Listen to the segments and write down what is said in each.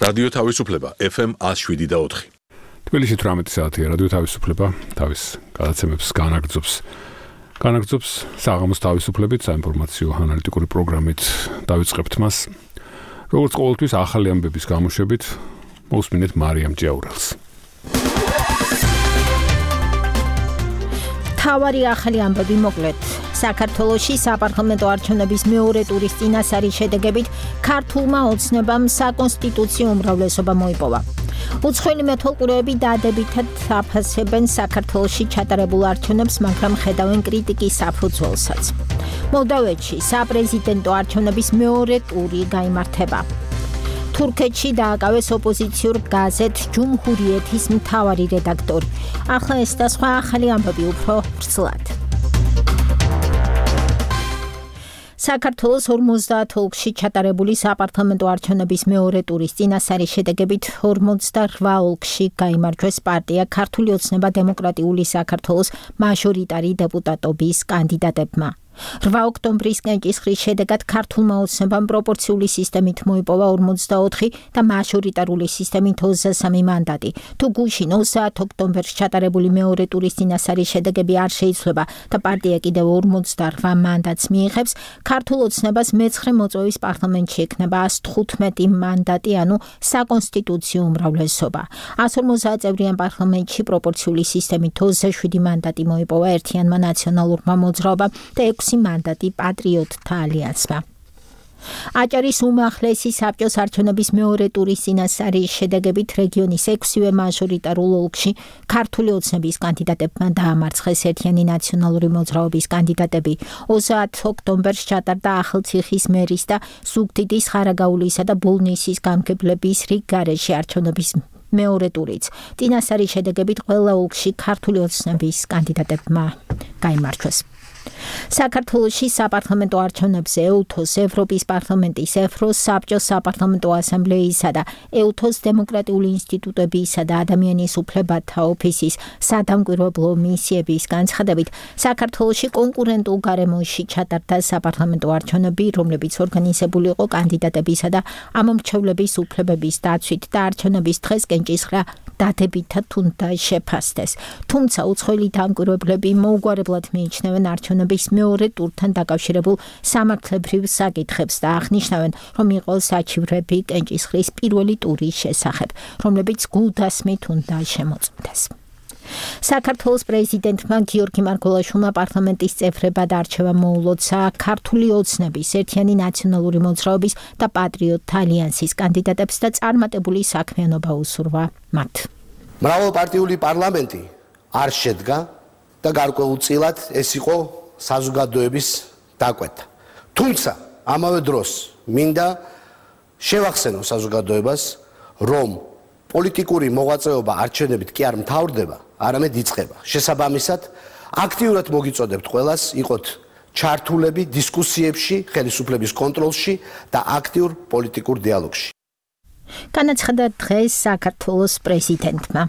რადიო თავისუფლება FM 107.4. თბილისში 18 საათია რადიო თავისუფლება თავის გადაცემებს განაგრძობს საღამოს თავისუფლებით საინფორმაციო ანალიტიკური პროგრამით დავიწყებთ მას. როგორც ყოველთვის ახალი ამბების გამოშვებით მოусმინეთ მარიამ ჭიაურელს. თავარი ახალი ამბები მოკლედ. საქართველოში საპარლამენტო არჩევნების მეორე ტურის წინასარის შედეგებით ქართულმა ოცნებამ საკონსტიტუციო უმრავლესობა მოიპოვა. უცხოელი მეთვალყურეები დადებითად აფასებენ საქართველოში ჩატარებულ არჩევნებს, მაგრამ ხედავენ კრიტიკის საფუძველსაც. მოლდოვეთში საპრეზიდენტო არჩევნების მეორე ტური გაიმართება. თურქეთში დააკავეს ოპოზიციურ გაზეთ ჯუმჰურიეთის მთავარი რედაქტორი. ახლა ეს და სხვა ახალი ამბები უფრო ვრცლად. საქართველოს 50 ოლქში ჩატარებული საპარლამენტო არჩევნების მეორე ტურის წინასარის შედეგებით 48 ოლქში გაიმარჯვეს პარტია ქართული ოცნება დემოკრატიული საქართველოს მაჟორიტარი დეპუტატობის კანდიდატებმა. 8 ოქტომბრის კენჭისყრის შედეგად ქართულმა ოცნებამ პროპორციული სისტემით მოიპოვა 44 და მაჟორიტარული სისტემით 23 მანდატი. თუ გუშინ 30 ოქტომბერს ჩატარებული მეორე ტურის წინასარის შედეგები არ შეიცვლება და პარტია კიდევ 48 მანდატს მიიღებს, ქართულ ოცნებას მე-9 მოწვევის პარლამენტში ექნება 115 მანდატი, ანუ საკონსტიტუციო უმრავლესობა. 150 წევრიან პარლამენტში პროპორციული სისტემით 27 მანდატი მოიპოვა ერთიანმა ნაციონალურმა მოძრაობამ და 6 მანდატი პატრიოტთა ალიანსმა. აჭარის უმაღლესი საბჭოს არჩევნების მეორე ტურის წინასარის შედეგებით რეგიონის 6-ვე მაჟორიტარულ ოლქში ქართული ოცნების კანდიდატებმა დაამარცხეს ერთიანი ნაციონალური მოძრაობის კანდიდატები. 30 ოქტომბერს ჩატარდა ახალციხის მერის და ზუგდიდის ხარაგაულისა და ბოლნისის გამგებლების რიგ გარეშე არჩევნების მეორე ტურიც. წინასარის შედეგებით ყველა ოლქში ქართული ოცნების კანდიდატებმა გაიმარჯვეს. საქართველოში საპარლამენტო არჩევნებზე ეუთოს ევროპის პარლამენტის, ევროს საბჭოს საპარლამენტო ასამბლეისა და ეუთოს დემოკრატიული ინსტიტუტებისა და ადამიანის უფლებათა ოფისის სადამკვირვებლო მისიების განცხადებით, საქართველოში კონკურენტულ გარემოში ჩატარდა საპარლამენტო არჩევნები, რომლებიც ორგანიზებული იყო კანდიდატებისა და ამომრჩევლების უფლებების დაცვით და არჩევნების დღეს კენჭისყრა დადებითად უნდა შეფასდეს. თუმცა უცხოელი დამკვირვებლები მოუგვარებლად მიიჩნევენ არჩევნების მეორე ტურთან დაკავშირებულ სამართლებრივ საკითხებს და აღნიშნავენ, რომ იყო საჩივრები კენჭისყრის პირველი ტურის შესახებ, რომლებიც გულდასმით უნდა შემოწმდეს. საქართველოს პრეზიდენტმა გიორგი მარგველაშვილმა პარლამენტის წევრებად არჩევა მოულოცა ქართული ოცნების, ერთიანი ნაციონალური მოძრაობის და პატრიოტთა ალიანსის კანდიდატებს და წარმატებული საქმიანობა უსურვა მათ. მრავალპარტიული პარლამენტი არ შედგა და გარკვეულწილად ეს იყო საზოგადოების დაკვეთა. თუმცა ამავე დროს მინდა შევახსენო საზოგადოებას, რომ პოლიტიკური მოღვაწეობა არჩევნებით კი არ მთავრდება, არამედ იწყება. შესაბამისად, აქტიურად მოგიწოდებთ ყველას იყოთ ჩართულები დისკუსიებში, ხელისუფლების კონტროლში და აქტიურ პოლიტიკურ დიალოგში. განაცხადა დღეს საქართველოს პრეზიდენტმა.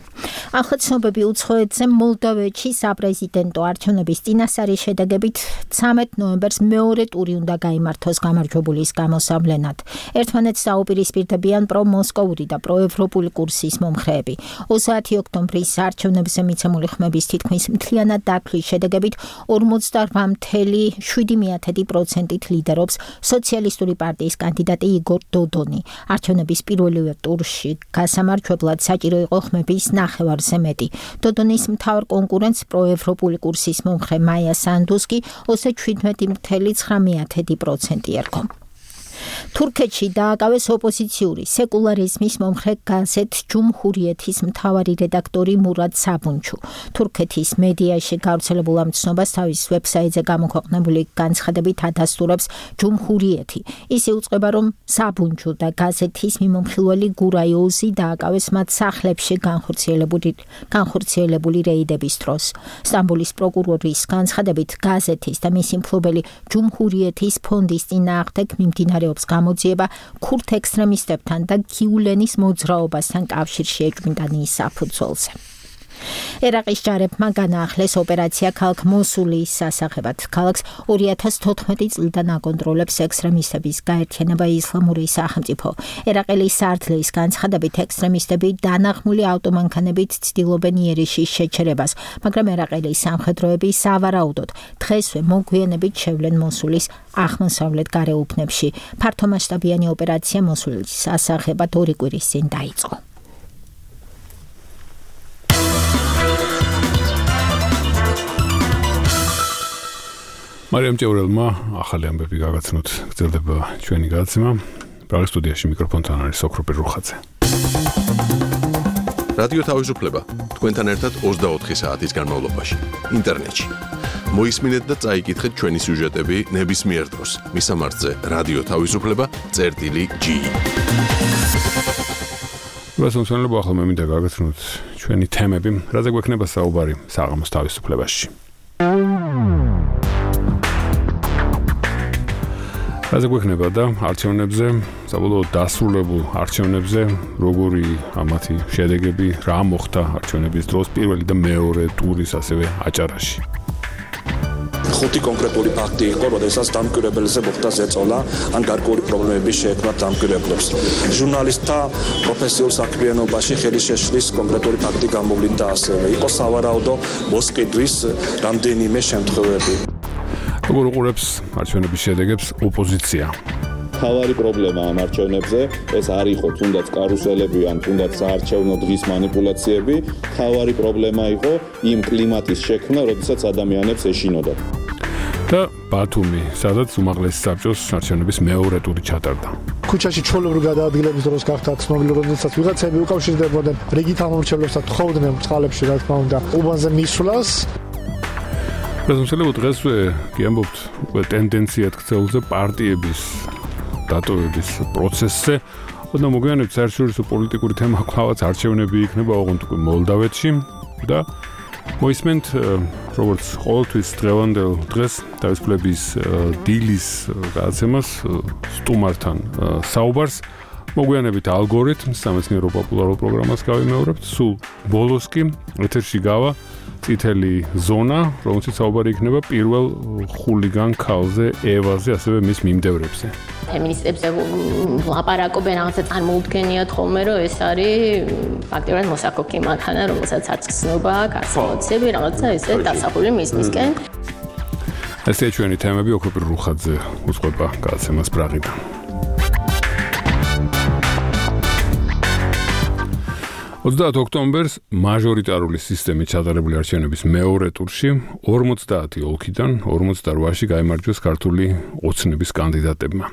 ახლა ცნობები უცხოეთზე მოლდოვეთში საპრეზიდენტო არჩევნების წინასარის შედეგებით 13 ნოემბერს მეორე ტური უნდა გაიმართოს გამარჯვებულის გამოსავლენად. ერთმანეთს დაუპირისპირდებიან პრომოსკოვური და პროევროპული კურსის მომხრეები. 30 ოქტომბრის არჩევნებზე მიცემული ხმების თითქმის მთლიანად დათვლის შედეგებით 48.7% ლიდერობს სოციალისტური პარტიის კანდიდატი იგორ დოდონი. არჩევნების პირველივე ტურში გასამარჯვებლად საჭირო იყო ხმების ნახევარზე მეტი. დოდონის მთავარ კონკურენტს პროევროპული კურსის მომხრე მაია სანდუს კი 27.9% ერგო. თურქეთში დააკავეს ოპოზიციური სეკულარიზმის მომხრე გაზეთ ჯუმჰურიეთის მთავარი რედაქტორი მურად საბუნჩუ. თურქეთის მედიაში გავრცელებულ ამ ცნობას თავის ვებსაიტზე გამოქვეყნებული განცხადებით ადასტურებს ჯუმჰურიეთი. ის იუწყება, რომ საბუნჩუ და გაზეთის მიმომხილველი გურაიოზი დააკავეს მათ სახლებში განხორციელებული რეიდების დროს. სტამბოლის პროკურორის განცხადებით გაზეთის და მისი მფლობელი ჯუმჰურიეთის ფონდის წინააღმდეგ მიმდინარეობს გამოძიება ქურთ ექსტრემისტებთან და გიულენის მოძრაობასთან კავშირში ეჭვმიტანის საფუძველზე. ერაყის ჯარებმა განაახლეს ოპერაცია ქალაქ მოსულის სასახებად. ქალაქს 2014 წლიდან აკონტროლებს ექსტრემისტების გაერთიანება ისლამური სახელმწიფო. ერაყელი სარდლის განცხადებით ექსტრემისტები დანაღმული ავტომანქანებით ცდილობენ იერიშის შეჩერებას, მაგრამ ერაყელი სამხედროები სავარაუდოდ დღესვე მოგვიანებით შევლენ მოსულის აღმოსავლეთ გარეუბნებში. ფართომასშტაბიანი ოპერაცია მოსულის სასახებად 2 კვირის წინ დაიწყო. მარიამ ჭეურელმა ახალი ამბები გაგაცნოთ. გრძელდება ჩვენი გადაცემა. პრაღის სტუდიაში მიკროფონთან არის სოქროპი რუხაძე. რადიო თავისუფლება თქვენთან ერთად 24 საათის განმავლობაში ინტერნეტში. მოისმინეთ და წაიკითხეთ ჩვენი სიუჟეტები ნებისმიერ დროს. მისამართზე რადიო თავისუფლება.ge. გასულსვენებლო ახლა მე მინდა გაგაცნოთ ჩვენი თემები, რაზე გვექნება საუბარი საღამოს თავისუფლებაში. რაზე გვექნება და არჩევნებზე, საბოლოოდ დასრულებულ არჩევნებზე, როგორი ამათი შედეგები, რა მოხდა არჩევნების დროს პირველი და მეორე ტურის ასევე აჭარაში. 5 კონკრეტული ფაქტი იყო, როდესაც დამკვირვებელზე მოხდა ზეწოლა, ან გარკვეული პრობლემები შეექმნა დამკვირვებლებს. ჟურნალისტთა პროფესიულ საქმიანობაში ხელი შეშლის კონკრეტული ფაქტი გამოვლინდა ასევე. იყო სავარაუდო მოსყიდვის რამდენიმე შემთხვევები. როგორ უყურებს არჩევნების შედეგებს ოპოზიცია? თავარი პრობლემა ამ არჩევნებზე ეს არ იყო თუნდაც კარუსელები ან თუნდაც საარჩევნო დღის манипуляციები, თავარი პრობლემა იყო იმ კლიმატის შექმნა, როდესაც ადამიანებს ეშინოდა. და ბათუმი, სადაც უმაღლესი საბჭოს არჩევნების მეორე ტური ჩატარდა. ქუჩაში ჩვეულებრივი გადაადგილების დროს გახდა ცნობილი, როდესაც ვიღაცები უკავშირდებოდნენ რიგით ამორჩევლებს და თხოვდნენ წყალებში, რა თქმა უნდა, უბანზე მისვლას. პრეზიდენტი დღესვე კი ამბობთ უკვე ტენდენციად ქცეულზე პარტიების დატოვების პროცესზე. ოდნა მოგვიანებით საერთაშორისო პოლიტიკური თემა კვლავაც არჩევნები იქნება ოღონდ უკვე მოლდავეთში და მოისმენთ როგორც ყოველთვის დღევანდელ დღეს თავისუფლების დილის გადაცემას სტუმართან საუბარს. მოგვიანებით ალგორითმს სამეცნიერო პოპულარულ პროგრამას გავიმეორებთ. სულ ბოლოს კი ეთერში გავა წითელი ზონა, რომელშიც საუბარი იქნება პირველ ხულიგან ქალზე, ევაზე, ასევე მის მიმდევრებზე. ფემინისტებზე ლაპარაკობენ, რაღაცა წარმოუდგენიათ ხოლმე, რომ ეს არის ფაქტობრივად მოსაკოქი მანქანა, რომელსაც არც გრძნობა, არც ემოციები, რაღაცა ესე დასახული მისკენ. ესეა ჩვენი თემები, ოქროპი რუხაძე უწყება გადაცემას პრაღიდან. ოქტომბერს მაჟორიტარული სისტემით ჩატარებული არჩევნების მეორე ტურში 50 ოლქიდან 48-ში გაიმარჯვეს ქართული ოცნების კანდიდატებმა.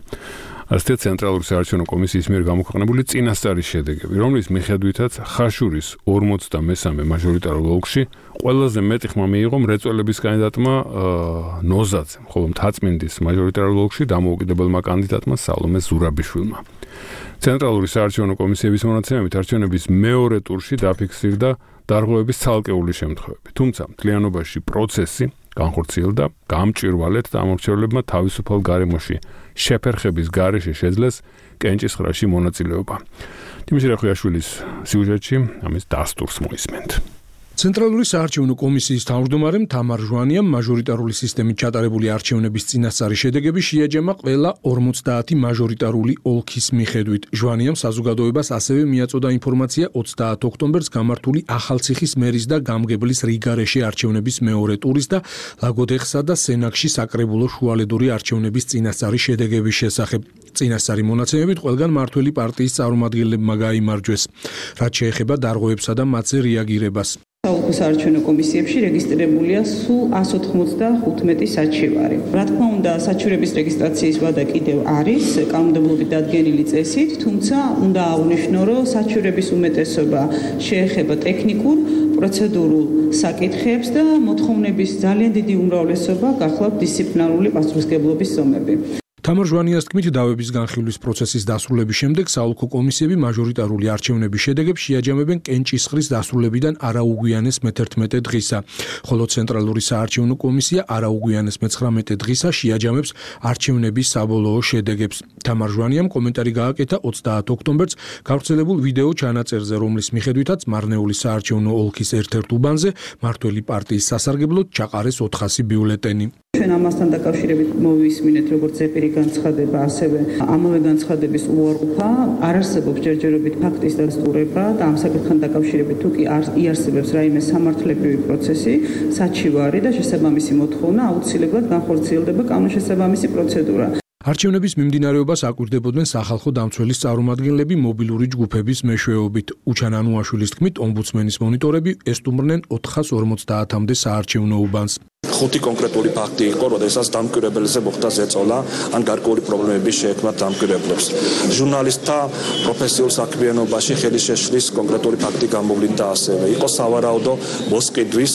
ასეთი ცენტრალური საარჩევნო კომისიის მიერ გამოქვეყნებული წინასწარი შედეგები, რომლის მიხედვითაც ხაშურის 53 მაჟორიტარულ ოლქში ყველაზე მეტი ხმა მიიღო მრეწველების კანდიდატმა ნოზაძემ, ხოლო მთაწმინდის მაჟორიტარულ ოლქში დამოუკიდებელმა კანდიდატმა სალომე ზურაბიშვილმა. ცენტრალური საარჩევნო კომისიების მონაცემებით არჩევნების მეორე ტურში დაფიქსირდა დარღვევების ცალკეული შემთხვევები. თუმცა მთლიანობაში პროცესი განხორციელდა გამჭვირვალედ და ამორჩევლებმა თავისუფალ გარემოში შეფერხების გარეშე შეძლეს კენჭისყრაში მონაწილეობა. თიმიშ რახვიაშვილის სიუჟეტში ამის დასტურს მოისმენთ. ცენტრალური საარჩევნო კომისიის თავმჯდომარემ თამარ ჟვანიამ მაჟორიტარული სისტემით ჩატარებული არჩევნების წინასწარი შედეგები შეაჯამა ყველა 50 მაჟორიტარული ოლქის მიხედვით. ჟვანიამ საზოგადოებას ასევე მიაწოდა ინფორმაცია 30 ოქტომბერს გამართული ახალციხის მერის და გამგებლის რიგარეშე არჩევნების მეორე ტურის და ლაგოდეხსა და სენაკში საკრებულო შუალედური არჩევნების წინასწარი შედეგების შესახებ. წინასწარი მონაცემებით ყველგან მართველი პარტიის წარმომადგენლებმა გაიმარჯვეს, რაც შეეხება დარღვევებსა და მათზე რეაგირებას. საოლქო საარჩევნო კომისიებში რეგისტრირებულია სულ 195 საჩივარი. რა თქმა უნდა, საჩივრების რეგისტრაციის ვადა კიდევ არის კანონმდებლობით დადგენილი წესით, თუმცა უნდა აღვნიშნო, რომ საჩივრების უმეტესობა შეეხება ტექნიკურ, პროცედურულ საკითხებს და მოთხოვნების ძალიან დიდი უმრავლესობა გახლავთ დისციპლინარული პასუხისმგებლობის ზომები. თამარ ჟვანიას თქმით, დავების განხილვის პროცესის დასრულების შემდეგ საოლქო კომისიები მაჟორიტარული არჩევნების შედეგებს შეაჯამებენ კენჭისყრის დასრულებიდან არაუგვიანეს მე-11 დღისა, ხოლო ცენტრალური საარჩევნო კომისია არაუგვიანეს მე-19 დღისა შეაჯამებს არჩევნების საბოლოო შედეგებს. თამარ ჟვანიამ კომენტარი გააკეთა 30 ოქტომბერს გავრცელებულ ვიდეო ჩანაწერზე, რომლის მიხედვითაც მარნეული საარჩევნო ოლქის ერთ-ერთ უბანზე მართველი პარტიის სასარგებლოდ ჩაყარეს 400 ბიულეტენი. ჩვენ ამასთან დაკავშირებით მოვისმინეთ როგორც ზეპირი განცხადება, ასევე ამავე განცხადების უარყოფა, არ არსებობს ჯერჯერობით ფაქტის დასტურება და ამ საკითხთან დაკავშირებით თუ კი იარსებებს რაიმე სამართლებრივი პროცესი, საჩივარი და შესაბამისი მოთხოვნა, აუცილებლად განხორციელდება კანონშესაბამისი პროცედურა. არჩევნების მიმდინარეობას აკვირდებოდნენ სახალხო დამცველის წარმომადგენლები მობილური ჯგუფების მეშვეობით. უჩან ანუაშვილის თქმით, ომბუდსმენის მონიტორები ესტუმრნენ 450-მდე საარჩევნო უბანს. 5 კონკრეტული ფაქტი იყო, როდესაც დამკვირვებელზე მოხდა ზეწოლა ან გარკვეული პრობლემები შეექმნა დამკვირვებლებს. ჟურნალისტთა პროფესიულ საქმიანობაში ხელი შეშლის კონკრეტული ფაქტი გამოვლინდა ასევე. იყო სავარაუდო მოსყიდვის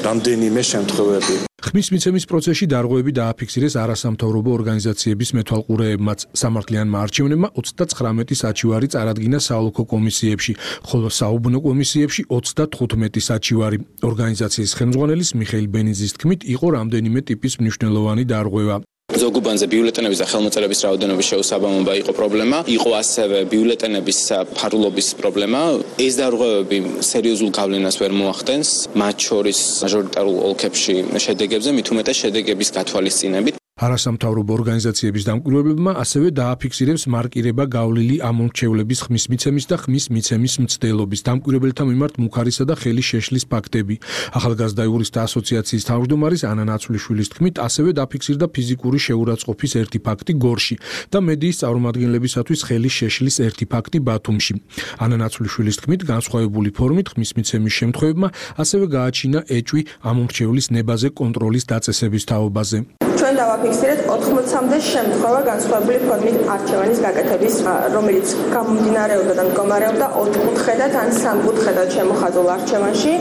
რამდენიმე შემთხვევები. ხმის მიცემის პროცესში დარღვევები დააფიქსირეს არასამთავრობო ორგანიზაციების მეთვალყურეებმაც. სამართლიანმა არჩევნებმა 39 საჩივარი წარადგინა საოლქო კომისიებში, ხოლო საუბნო კომისიებში 35 საჩივარი. ორგანიზაციის ხელმძღვანელის მიხეილ ბენიძის თქმით, იყო რამდენიმე ტიპის მნიშვნელოვანი დარღვევა. ზოგ უბანზე ბიულეტენების და ხელმოწერების რაოდენობის შეუსაბამობა იყო პრობლემა, იყო ასევე ბიულეტენების ფარულობის პრობლემა. ეს დარღვევები სერიოზულ გავლენას ვერ მოახდენს, მათ შორის მაჟორიტარულ ოლქებში შედეგებზე, მით უმეტეს შედეგების გათვალისწინებით. არასამთავრობო ორგანიზაციების დამკვირვებლებმა ასევე დააფიქსირებს მარკირება გავლილი ამორჩევლების ხმის მიცემის და ხმის მიცემის მცდელობის, დამკვირვებელთა მიმართ მუხარისა და ხელის შეშლის ფაქტები. ახალგაზრდა იურისტთა ასოციაციის თავმჯდომარის ანა ნაცვლიშვილის თქმით, ასევე დაფიქსირდა ფიზიკური შეურაცხყოფის ერთი ფაქტი გორში და მედიის წარმომადგენლებისათვის ხელის შეშლის ერთი ფაქტი ბათუმში. ანა ნაცვლიშვილის თქმით, განსხვავებული ფორმით ხმის მიცემის შემთხვევებმა ასევე გააჩინა ეჭვი ამორჩევლის ნებაზე კონტროლის დაწესების თაობაზე. ჩვენ დავაფიქსირეთ 80-მდე შემთხვევა განსხვავებული ფორმით არჩევანის გაკეთების, რომელიც გამომდინარეობდა და მდგომარეობდა 4-კუთხედად ან 3-კუთხედად შემოხაზულ არჩევანში,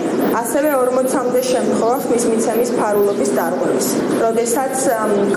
ასევე 40-მდე შემთხვევა ხმის მიცემის ფარულობის დარღვევის, როდესაც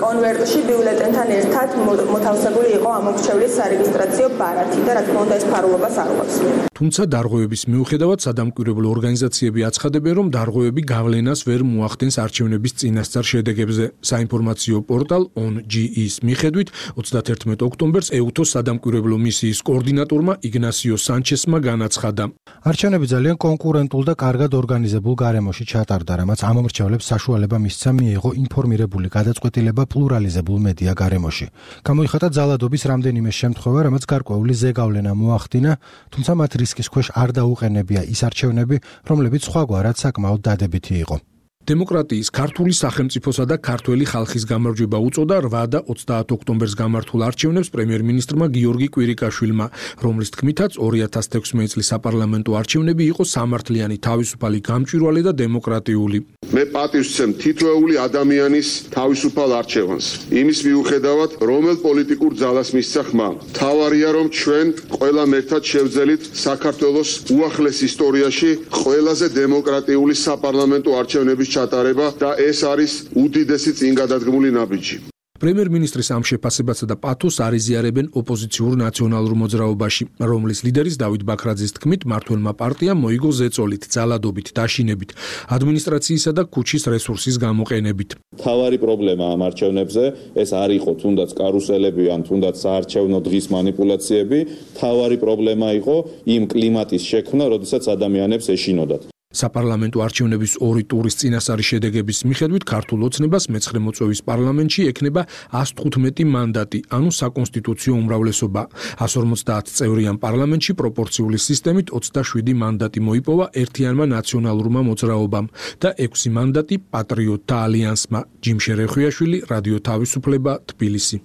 კონვერტში ბიულეტენთან ერთად მოთავსებული იყო ამორჩევლის სარეგისტრაციო ბარათი და რა თქმა უნდა ეს ფარულობას არ უყვებს. თუმცა დარღვევების მიუხედავად სადამკვირვებლო ორგანიზაციები აცხადებენ, რომ დარღვევები გავლენას ვერ მოახდენს არჩევნების წინასწარ შედეგებზე. საინფორმაციო პორტალ ONGE-ის მიხედვით 31 ოქტომბერს EUTO-ს სადამკვირვებლო მისიის კოორდინატორმა იგნასიო სანჩესმა განაცხადა. არჩევნები ძალიან კონკურენტულ და კარგად ორგანიზებულ გარემოში ჩატარდა, რამაც ამომრჩევლებს საშუალება მისცა მიიღო ინფორმირებული გადაწყვეტილება პლურალიზებულ მედია გარემოში. გამოიხატა ძალადობის რამდენიმე შემთხვევა, რამაც გარკვეული ზეგავლენა მოახდინა, თუმცა მათ რისკის ქვეშ არ დაუყენებია ის არჩევნები, რომლებიც სხვაგვარად საკმაოდ დადებითი იყო. დემოკრატიის ქართული სახელმწიფოსა და ქართველი ხალხის გამარჯვება უწოდა 8 და 30 ოქტომბერს გამართულ არჩევნებს პრემიერ-მინისტრმა გიორგი კვირიკაშვილმა, რომლის თქმითაც 2016 წლის საპარლამენტო არჩევნები იყო სამართლიანი, თავისუფალი, გამჭვირვალე და დემოკრატიული. მე პატივს ვცემ თითოეული ადამიანის თავისუფალ არჩევანს. იმის მიუხედავად, რომელ პოლიტიკურ ძალას მისცა ხმა. მთავარია, რომ ჩვენ ყველამ ერთად შევძელით საქართველოს უახლეს ისტორიაში ყველაზე დემოკრატიული საპარლამენტო არჩევნების ჩატარება და ეს არის უდიდესი წინგადადგმული ნაბიჯი. პრემიერ-მინისტრის ამ შეფასებასა და პათოსს არიზიარებენ ოპოზიციურ ნაციონალურ მოძრაობაში, რომლის ლიდერის დავით ბაქრაძის თქმით, მმართველმა პარტიამ მოიგო ზეწოლით, ძალადობით, დაშინებით, ადმინისტრაციისა და ქუჩის რესურსის გამოყენებით. მთავარი პრობლემა ამ არჩევნებზე ეს არ იყო თუნდაც კარუსელები ან თუნდაც საარჩევნო დღის манипуляციები, მთავარი პრობლემა იყო იმ კლიმატის შექმნა, როდესაც ადამიანებს ეშინოდათ. საპარლამენტო არჩევნების 2 ტურის წინასწარი შედეგების მიხედვით ქართულ ოცნებას მე-9 მოწვევის პარლამენტში ექნება 115 მანდატი, ანუ საკონსტიტუციო უმრავლესობა. 150 წევრიან პარლამენტში პროპორციული სისტემით 27 მანდატი მოიპოვა ერთიანმა ნაციონალურმა მოძრაობამ და 6 მანდატი პატრიოტთა ალიანსმა. ჯიმშე რეხვიაშვილი, რადიო თავისუფლება, თბილისი.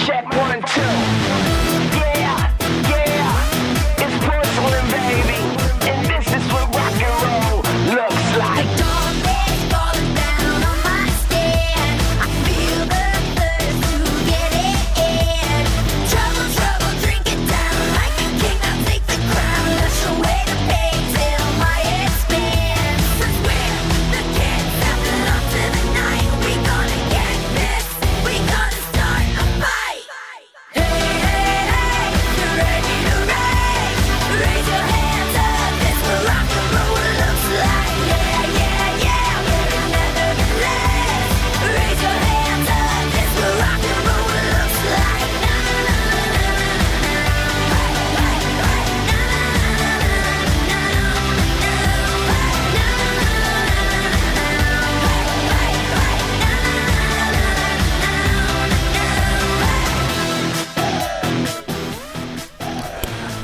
Check 1 and 2. Yeah, it's porcelain, baby, and this is what rock and roll looks like.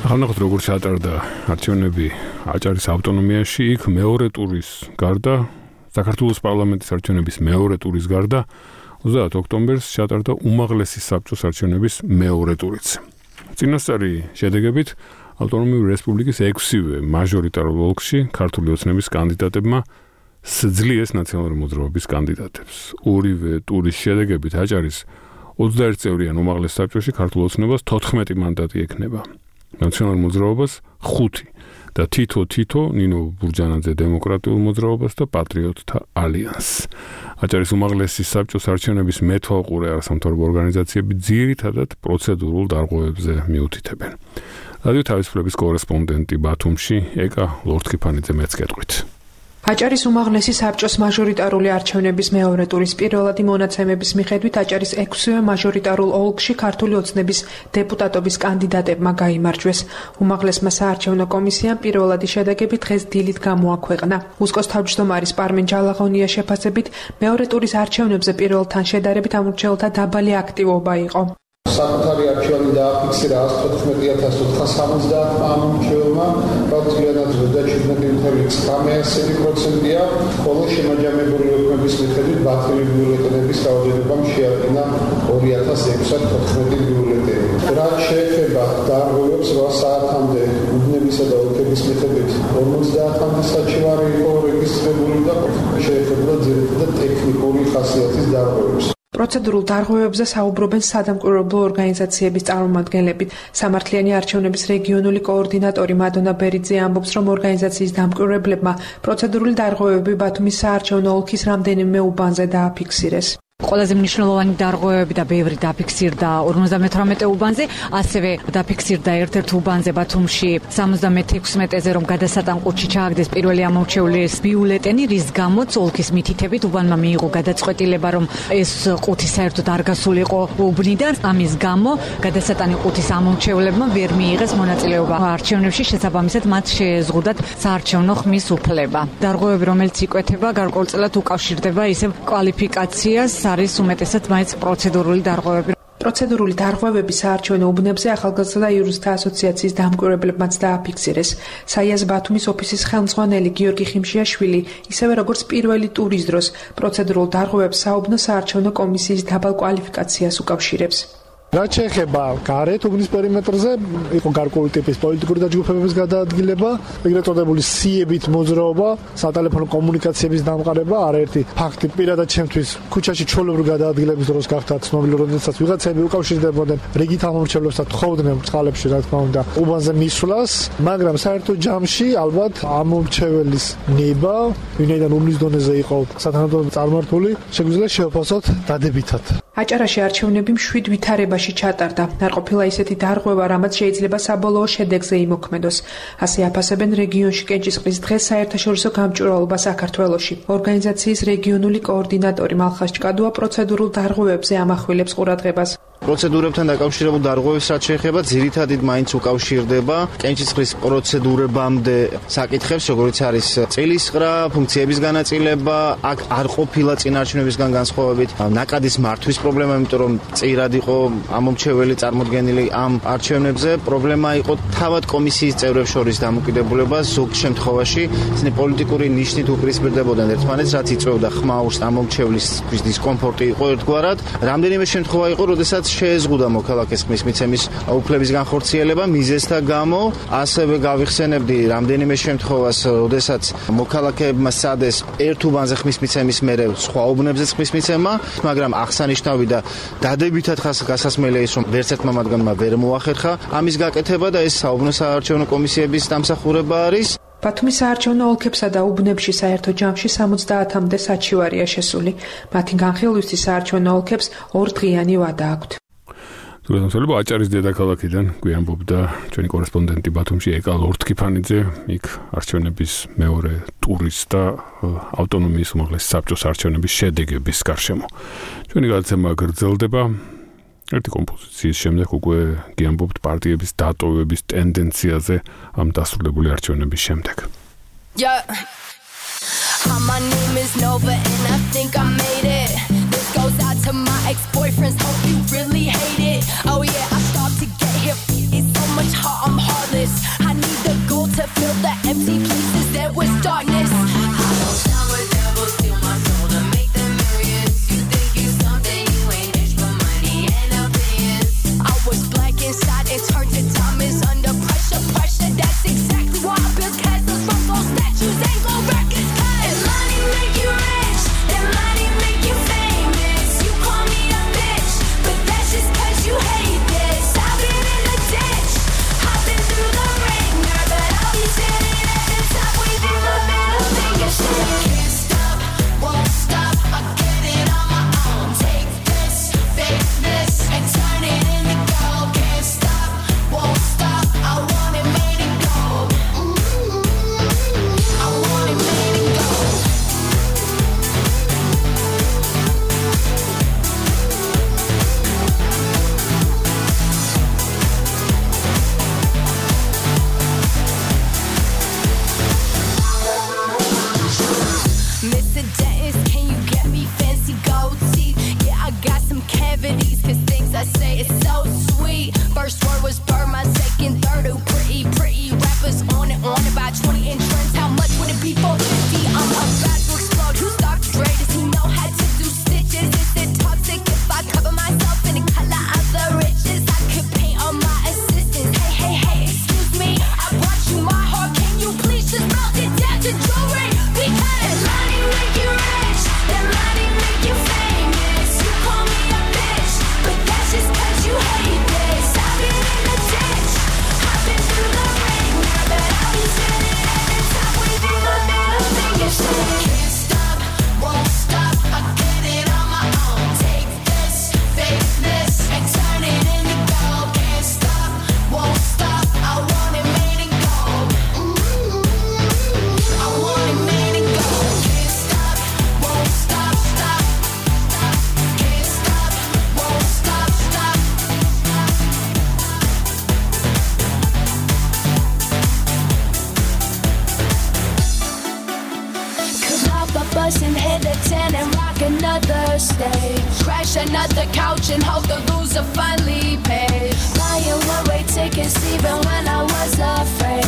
ახალნახოთ როგორ ჩატარდა არჩევნები აჭარის ავტონომიაში, იქ მეორე ტურის გარდა, საქართველოს პარლამენტის არჩევნების მეორე ტურის გარდა 30 ოქტომბერს ჩატარდა უმაღლესი საბჭოს არჩევნების მეორე ტურიც. წინასწარი შედეგებით ავტონომიური რესპუბლიკის 6-ვე მაჟორიტარულ ოლქში ქართული ოცნების კანდიდატებმა სძლიეს ნაციონალური მოძრაობის კანდიდატებს. ორივე ტურის შედეგებით აჭარის 21 წევრიან უმაღლეს საბჭოში ქართულ ოცნებას 14 მანდატი ექნება. ნაციონალურ მოძრაობას 5 და თითო ნინო ბურჯანაძე დემოკრატიულ მოძრაობას და პატრიოტთა ალიანსს. აჭარის უმაღლესი საბჭოს არჩევნების მეთვალყურე არასამთავრობო ორგანიზაციები ძირითადად პროცედურულ დარღვევებზე მიუთითებენ. რადიო თავისუფლების კორესპონდენტი ბათუმში ეკა ლორთქიფანიძე მეც გეტყვით. აჭარის უმაღლესი საბჭოს მაჟორიტარული არჩევნების მეორე ტურის პირველადი მონაცემების მიხედვით აჭარის 6-ვე მაჟორიტარულ ოლქში ქართული ოცნების დეპუტატობის კანდიდატებმა გაიმარჯვეს. უმაღლესმა საარჩევნო კომისიამ პირველადი შედეგები დღეს დილით გამოაქვეყნა. უსკოს თავმჯდომარის პარმენ ჯალაღონიას შეფასებით მეორე ტურის არჩევნებზე პირველთან შედარებით ამორჩეულთა დაბალი აქტივობა იყო. საკუთარი არჩევანი დააფიქსირა 114,470 ამომრჩეველმა, პროცენტად 17.9%-ია, ხოლო შემაჯამებული ოქმების მიხედვით ბათუმის ბიულეტენების რაოდენობამ შეადგინა 2614 ბიულეტენი. რაც შეეხება დარღვევებს 8 საათამდე უბნებისა და ოლქების მიხედვით 50-მდე საჩივარი იყო რეგისტრირებული და შეეხება ძირითადად ტექნიკური ხასიათის დარღვევებს. პროცედურულ დარღვევებზე საუბრობენ სადამკვირვებლო ორგანიზაციების წარმომადგენლები. სამართლიანი არჩევნების რეგიონული კოორდინატორი მადონა ბერიძე ამბობს, რომ ორგანიზაციის დამკვირვებლებმა პროცედურული დარღვევები ბათუმის საარჩევნო ოლქის რამდენიმე უბანზე დააფიქსირეს. ყველაზე მნიშვნელოვანი დარღვევები და ბევრი დაფიქსირდა 58 უბანზე, ასევე დაფიქსირდა ერთ-ერთ უბანზე ბათუმში 76-ზე, რომ გადასატანყურში ჩააგდეს პირველი ამორჩეულის ბიულეტენი, რის გამოც ოლქის მითითებით უბანმა მიიღო გადაწყვეტილება, რომ ეს ყუთი საერთოდ არ გასულიყო უბნიდან, ამის გამო გადასატანი ყუთის ამორჩეულებმა ვერ მიიღეს მონაწილეობა არჩევნებში, შესაბამისად მათ შეეზღუდათ საარჩევნო ხმის უფლება. დარღვევები, რომელიც იკვეთება, გარკვეულწილად უკავშირდება ისევ კვალიფიკაციას, არის უმეტესად მაინც პროცედურული დარღვევები. პროცედურული დარღვევები საარჩევნო უბნებზე ახალგაზრდა იურისტთა ასოციაციის დამკვირვებლებმაც დააფიქსირეს. საიას ბათუმის ოფისის ხელმძღვანელი გიორგი ხიმშიაშვილი, ისევე როგორც პირველი ტურის დროს, პროცედურულ დარღვევებს საუბნო საარჩევნო კომისიის დაბალ კვალიფიკაციას უკავშირებს. რაც შეეხება გარეთ უბნის პერიმეტრზე, იყო გარკვეული ტიპის პოლიტიკური დაჯგუფებების გადაადგილება, ეგრეთ წოდებული სიებით მოძრაობა, სატელეფონო კომუნიკაციების დამყარება, არაერთი ფაქტი პირადად ჩემთვის ქუჩაში ჩვეულებრივი გადაადგილების დროს გახდა ცნობილი, როდესაც ვიღაცები უკავშირდებოდნენ რიგით ამომრჩევლებს და თხოვდნენ წყალებში, რა თქმა უნდა, უბანზე მისვლას, მაგრამ საერთო ჯამში ალბათ ამომრჩეველის ნება, ვინაიდან უბნის დონეზე იყო სათანადო წარმართული, შეგვიძლია შევაფასოთ დადებითად. აჭარაში არჩევნები მშვიდ ვითარებაში ჩატარდა. არ ყოფილა ისეთი დარღვევა, რამაც შეიძლება საბოლოო შედეგზე იმოქმედოს. ასე აფასებენ რეგიონში კენჭისყრის დღეს საერთაშორისო გამჭვირვალობა საქართველოში. ორგანიზაციის რეგიონული კოორდინატორი მალხას ჭკადუა პროცედურულ დარღვევებზე ამახვილებს ყურადღებას. პროცედურებთან დაკავშირებულ დარღვევებს რაც შეეხება, ძირითადად მაინც უკავშირდება კენჭისყრის პროცედურებამდე საკითხებს, როგორც არის წილისყრა, ფუნქციების განაწილება, აქ არ ყოფილა წინარჩუნებისგან განსხვავებით ნაკადის მართვის პრობლემა, იმიტომ რომ წირად იყო ამომრჩეველი წარმოდგენილი ამ არჩევნებზე. პრობლემა იყო თავად კომისიის წევრებს შორის დამოკიდებულება, ზოგ შემთხვევაში ისინი პოლიტიკური ნიშნით უპირისპირდებოდნენ ერთმანეთს, რაც იწვევდა ხმაურს ამომრჩევლის დისკომფორტი იყო ერთგვარად. რამდენიმე შემთხვევა იყო, როდესაც შეეზღუდა მოქალაქეს ხმის მიცემის უფლების განხორციელება მიზეზთა გამო. ასევე გავიხსენებდი რამდენიმე შემთხვევას, როდესაც მოქალაქეებმა სცადეს ერთ უბანზე ხმის მიცემის მერე სხვა უბნებზე ხმის მიცემა, მაგრამ აღსანიშნავი და დადებითად გასასმელია ის, რომ ვერც ერთმა მათგანმა ვერ მოახერხა ამის გაკეთება და ეს საუბნო საარჩევნო კომისიების დამსახურება არის. ბათუმის საარჩევნო ოლქებსა და უბნებში საერთო ჯამში 70-მდე საჩივარია შესული. მათი განხილვისთვის საარჩევნო ოლქებს 2 დღიანი ვადა აქვთ. თუმცა აჭარის დედაქალაქიდან გვიამბობდა ჩვენი კორესპონდენტი ბათუმში ეკა ლორთქიფანიძე, იქ არჩევნების მეორე ტურის და ავტონომიის უმაღლესი საბჭოს არჩევნების შედეგების გარშემო. ჩვენი გადაცემა გრძელდება. ერთი კომპოზიციის შემდეგ უკვე გიამბობთ პარტიების დატოვების ტენდენციაზე ამ დასრულებული არჩევნების შემდეგ. My name is Nova and I think I made it. This goes out to my ex-boyfriends, hope you really hate it. Oh yeah, I started to get here, it's so much hot, I'm heartless. the empty places there was darkness. I won't tell a devil steal my soul to make them millions. You think you something you ain't rich for money and opinions. I was blank inside, it turned to diamonds under pressure. That's exactly why I built castles from those statues and gold records. And money make you rich, and money make you famous. You call me a bitch, but that's just 'cause you hate this. I've been in the ditch, I've been through the ringer, but I'll be standing at the top waving the middle finger. Can't stop, won't stop, I get it on my own. Take this, fake this, and turn it into gold. Can't stop, won't stop, I want it made in gold. I want it made in gold. Mr. Dennis, can you get me fancy gold teeth? Yeah, I got some cavities, 'cause things I say is so sweet. First word was bird, my second, third, oh pretty rappers on about 20-inch trends. How much would it be for 50? I'm about to explode. Who stopped Dre? Does he know how to do stitches? Is it toxic if I cover myself in the color of the riches? I could paint on my assistants. Hey, excuse me, I brought you my heart. Can you please just melt it down to jewelry? Because money make you rich, and money make you famous. You call me a bitch, but that's just 'cause you hate this. I've been in the ditch, I've been through the ringer, but I'll be standing at the top waving the middle finger. Can't stop, won't stop, I get it on my own. Take this, fake this, and turn it into gold. Can't stop, won't stop, I want it made in gold. I want it made in gold. Can't stop, won't stop, stop. Can't stop, won't stop, stop. Come out the bus and hit a 10 and rock another stage. Crash another couch and hope the loser finally pays. Buying one-way tickets even when I was afraid.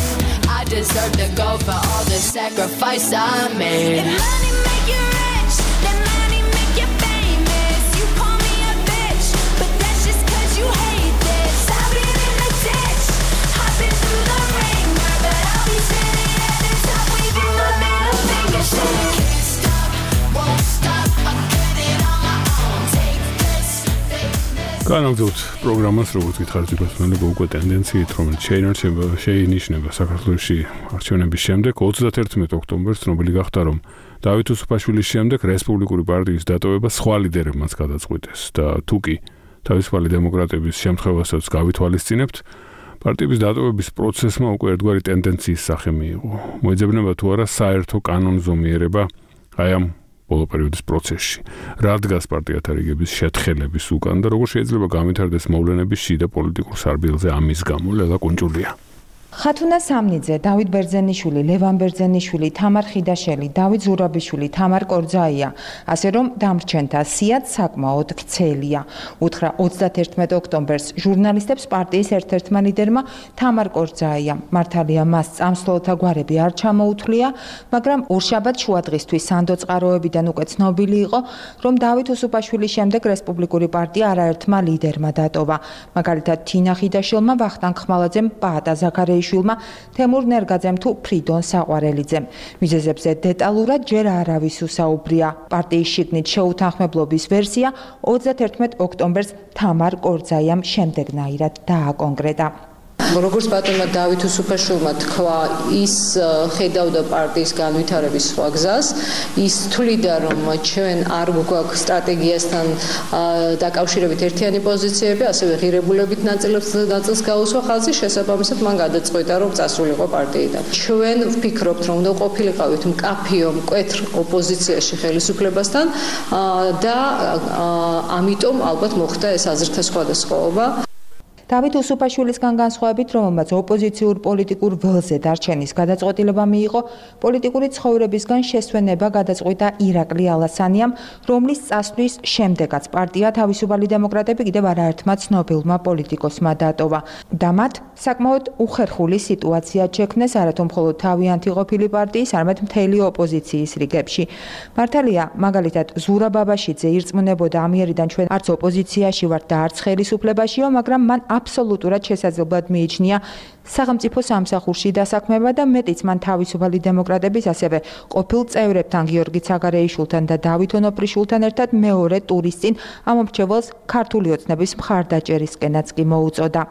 I deserve to go for all the sacrifice I made. And money make you rich, then money make you famous. You call me a bitch, but that's just 'cause you hate this. I've been in the ditch, I've been through the ringer, but I'll be standing at the top waving the middle finger. Can't stop, won't stop, I get it on my own. Take this, fake this. განაგზავნოთ პროგრამას, როგორც გითხარით, იმასმენება უკვე ტენდენციით, რომელიც შეინიშნება საქართველოში არჩევნების შემდეგ 31 ოქტომბერს, ცნობილი გახდა, რომ დავით უსუფაშვილის შემდეგ რესპუბლიკური პარტიის დატოვება სხვა ლიდერებმაც გადაწყვიტეს და თუკი თავისუფალი დემოკრატების შემთხვევასაც გავითვალისწინებთ, პარტიების დატოვების პროცესმა უკვე ერთგვარი ტენდენციის სახე მიიღო. მოიძებნება თუ არა საერთო კანონზომიერება აი ამ ბოლო პერიოდის პროცესში. რა დგას პარტიათა რიგების შეთხელების უკან და როგორ შეიძლება განვითარდეს მოვლენები შიდა პოლიტიკურ სარბილზე ამის გამო? ლელა კუნჭულია. ხათუნა სამნიძე, დავით ბერძენიშვილი, ლევან ბერძენიშვილი, თამარ ხიდაშელი, დავით ზურაბიშვილი, თამარ კორძაია, ასე რომ დამრჩენთა სიაც საკმაოდ ვრცელია. უთხრა 31 ოქტომბერს ჟურნალისტებს პარტიის ერთ-ერთმა ლიდერმა თამარ კორძაია. მართალია მას წამსვლელთა გვარები არ ჩამოუთვლია, მაგრამ ორშაბათ შუადღისთვის სანდო წყაროებიდან უკვე ცნობილი იყო, რომ დავით უსუფაშვილის შემდეგ რესპუბლიკური პარტია არაერთმა ლიდერმა დატოვა. მაგალითად თინა ხიდაშელმა, ვახტანგ ხმალაძემ, პაატა ზაქარიაშვილმა, თემურ ნერგაძემ თუ ფრიდონ საყვარელიძემ. მიზეზებზე დეტალურად ჯერ არავის უსაუბრია. პარტიის შიგნით შეუთანხმებლობის ვერსია 31 ოქტომბერს თამარ კორძაიამ შემდეგნაირად დააკონკრეტა. როგორც ბატონმა დავით უსუფაშვილმა თქვა, ის ხედავდა პარტიის განვითარების სხვა გზას, ის თვლიდა, რომ ჩვენ არ გვაქვს სტრატეგიასთან დაკავშირებით ერთიანი პოზიციები, ასევე ღირებულებით ნაწილს გაუსვა ხალხი, შესაბამისად მან გადაწყვიტა, რომ წასულიყო პარტიიდან. ჩვენ ვფიქრობთ, რომ უნდა ყოფილიყავით მკაფიო, მკვეთრ ოპოზიციაში ხელისუფლებასთან და ამიტომ ალბათ მოხდა ეს აზრთა სხვადასხვაობა. დავით უსუფაშვილისგან განსხვავებით, რომელმაც ოპოზიციურ პოლიტიკურ ველზე დარჩენის გადაწყვეტილება მიიღო, პოლიტიკური ცხოვრებისგან შესვენება გადაწყვიტა ირაკლი ალასანიამ, რომლის წასვლის შემდეგაც პარტია თავისუფალი დემოკრატები კიდევ არაერთმა ცნობილმა პოლიტიკოსმა დატოვა და მათ საკმაოდ უხერხული სიტუაცია შექმნეს არათუ მხოლოდ თავიანთი ყოფილი პარტიის, არამედ მთელი ოპოზიციის რიგებში. მართალია, მაგალითად, ზურა ბაბაშიძე ირწმუნებოდა ამიერიდან ჩვენ არც ოპოზიციაში ვართ და არც ხელისუფლებაშიო, მაგრამ მან აბსოლუტურად შესაძლებლად მიიჩნია სახელმწიფო სამსახურში დასაქმება და მეტიც მან თავისუფალი დემოკრატების ასევე ყოფილ წევრებთან გიორგი ცაგარეიშვილთან და დავით ონოპრიშვილთან ერთად მეორე ტურის წინ ამ მრჩეველს ქართული ოცნების მხარდაჭერისკენაც კი მოუწოდა.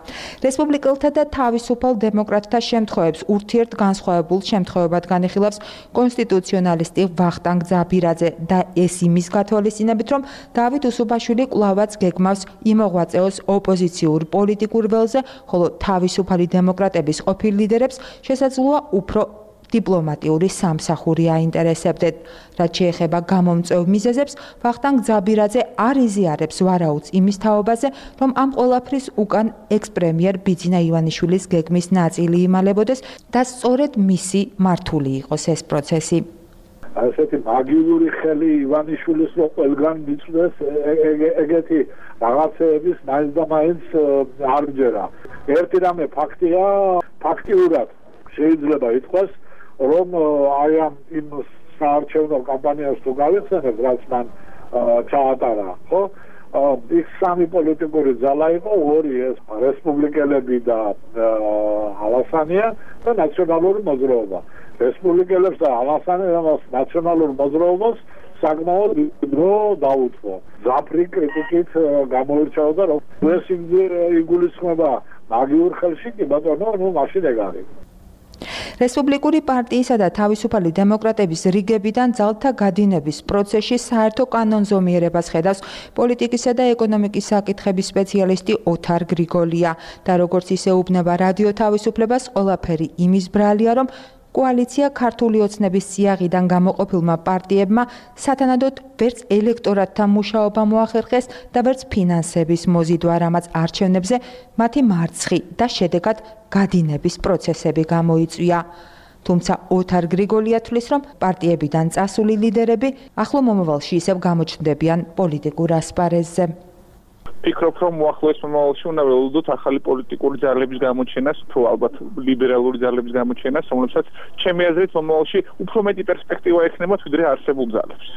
რესპუბლიკელთა და თავისუფალ დემოკრატთა შემთხვევებს ურთიერთგანსხვავებულ შემთხვევებად განიხილავს კონსტიტუციონალისტი ვახტანგ ძაბირაძე და ეს იმის გათვალისწინებით, რომ დავით უსუფაშვილი კვლავაც გეგმავს იმოღვაწეოს ოპოზიციურ პოლიტიკურ ველზე, ხოლო თავისუფალი დემოკრატების ყოფილ ლიდერებს შესაძლოა უფრო დიპლომატიური სამსახური აინტერესებდეთ. რაც შეეხება გამომწვევ მიზეზებს, ვახტანგ ძაბირაძე არ იზიარებს ვარაუდს იმის თაობაზე, რომ ამ ყველაფრის უკან ექს-პრემიერ ბიძინა ივანიშვილის გეგმის ნაწილი იმალებოდეს და სწორედ მისი მართული იყოს ეს პროცესი. ასეთი მაგიური ხელი ივანიშვილის რო ყველგან მიწვდეს ეგეთი რაღაცეების მაინც და მაინც არ ჯერა. ერთი რამე ფაქტია, ფაქტიურად შეიძლება ითქვას, რომ აი ამ იმ საარჩევნო კამპანიას თუ გავიხსენებთ, რაც მან ჩაატარა, ხო? იქ სამი პოლიტიკური ძალა იყო, ორი ეს რესპუბლიკელები და ალასანია და ნაციონალური მოძრაობა. რესპუბლიკელებს და ალასანიას ნაციონალურ მოძრაობას საკმაოდ დრო დაუთმო. ზაფრი კრიტიკით გამოირჩეოდა, რომ ეს იგულისხმება მაგიურ ხელში კი ბატონო, ნუ მაშინ ეგ არის. რესპუბლიკური პარტიისა და თავისუფალი დემოკრატების რიგებიდან ძალთა გადინების პროცესში საერთო კანონზომიერებას ხედავს პოლიტიკისა და ეკონომიკის საკითხების სპეციალისტი ოთარ გრიგოლია და როგორც ისეუბნება რადიო თავისუფლებას, ყველაფერი იმის ბრალია, რომ კოალიცია ქართული ოცნების სიაღიდან გამოყოფილმა პარტიებმა სათანადოდ ვერც ელექტორატთან მუშაობა მოახერხეს და ვერც ფინანსების მოზიდვა, რამაც არჩევნებზე მათი მარცხი და შედეგად გადინების პროცესები გამოიწვია. თუმცა ოთარ გრიგოლია თვლის, რომ პარტიებიდან წასული ლიდერები ახლო მომავალში ისევ გამოჩნდებიან პოლიტიკურ ასპარეზზე. ფიქრობ, რომ მოახლოეს მომავალში უნდა ველოდოთ ახალი პოლიტიკური ძალების გამოჩენას, თუ ალბათ ლიბერალური ძალების გამოჩენას, რომლებსაც ჩემი აზრით მომავალში უფრო მეტი პერსპექტივა ექნებათ, ვიდრე არსებულ ძალებს.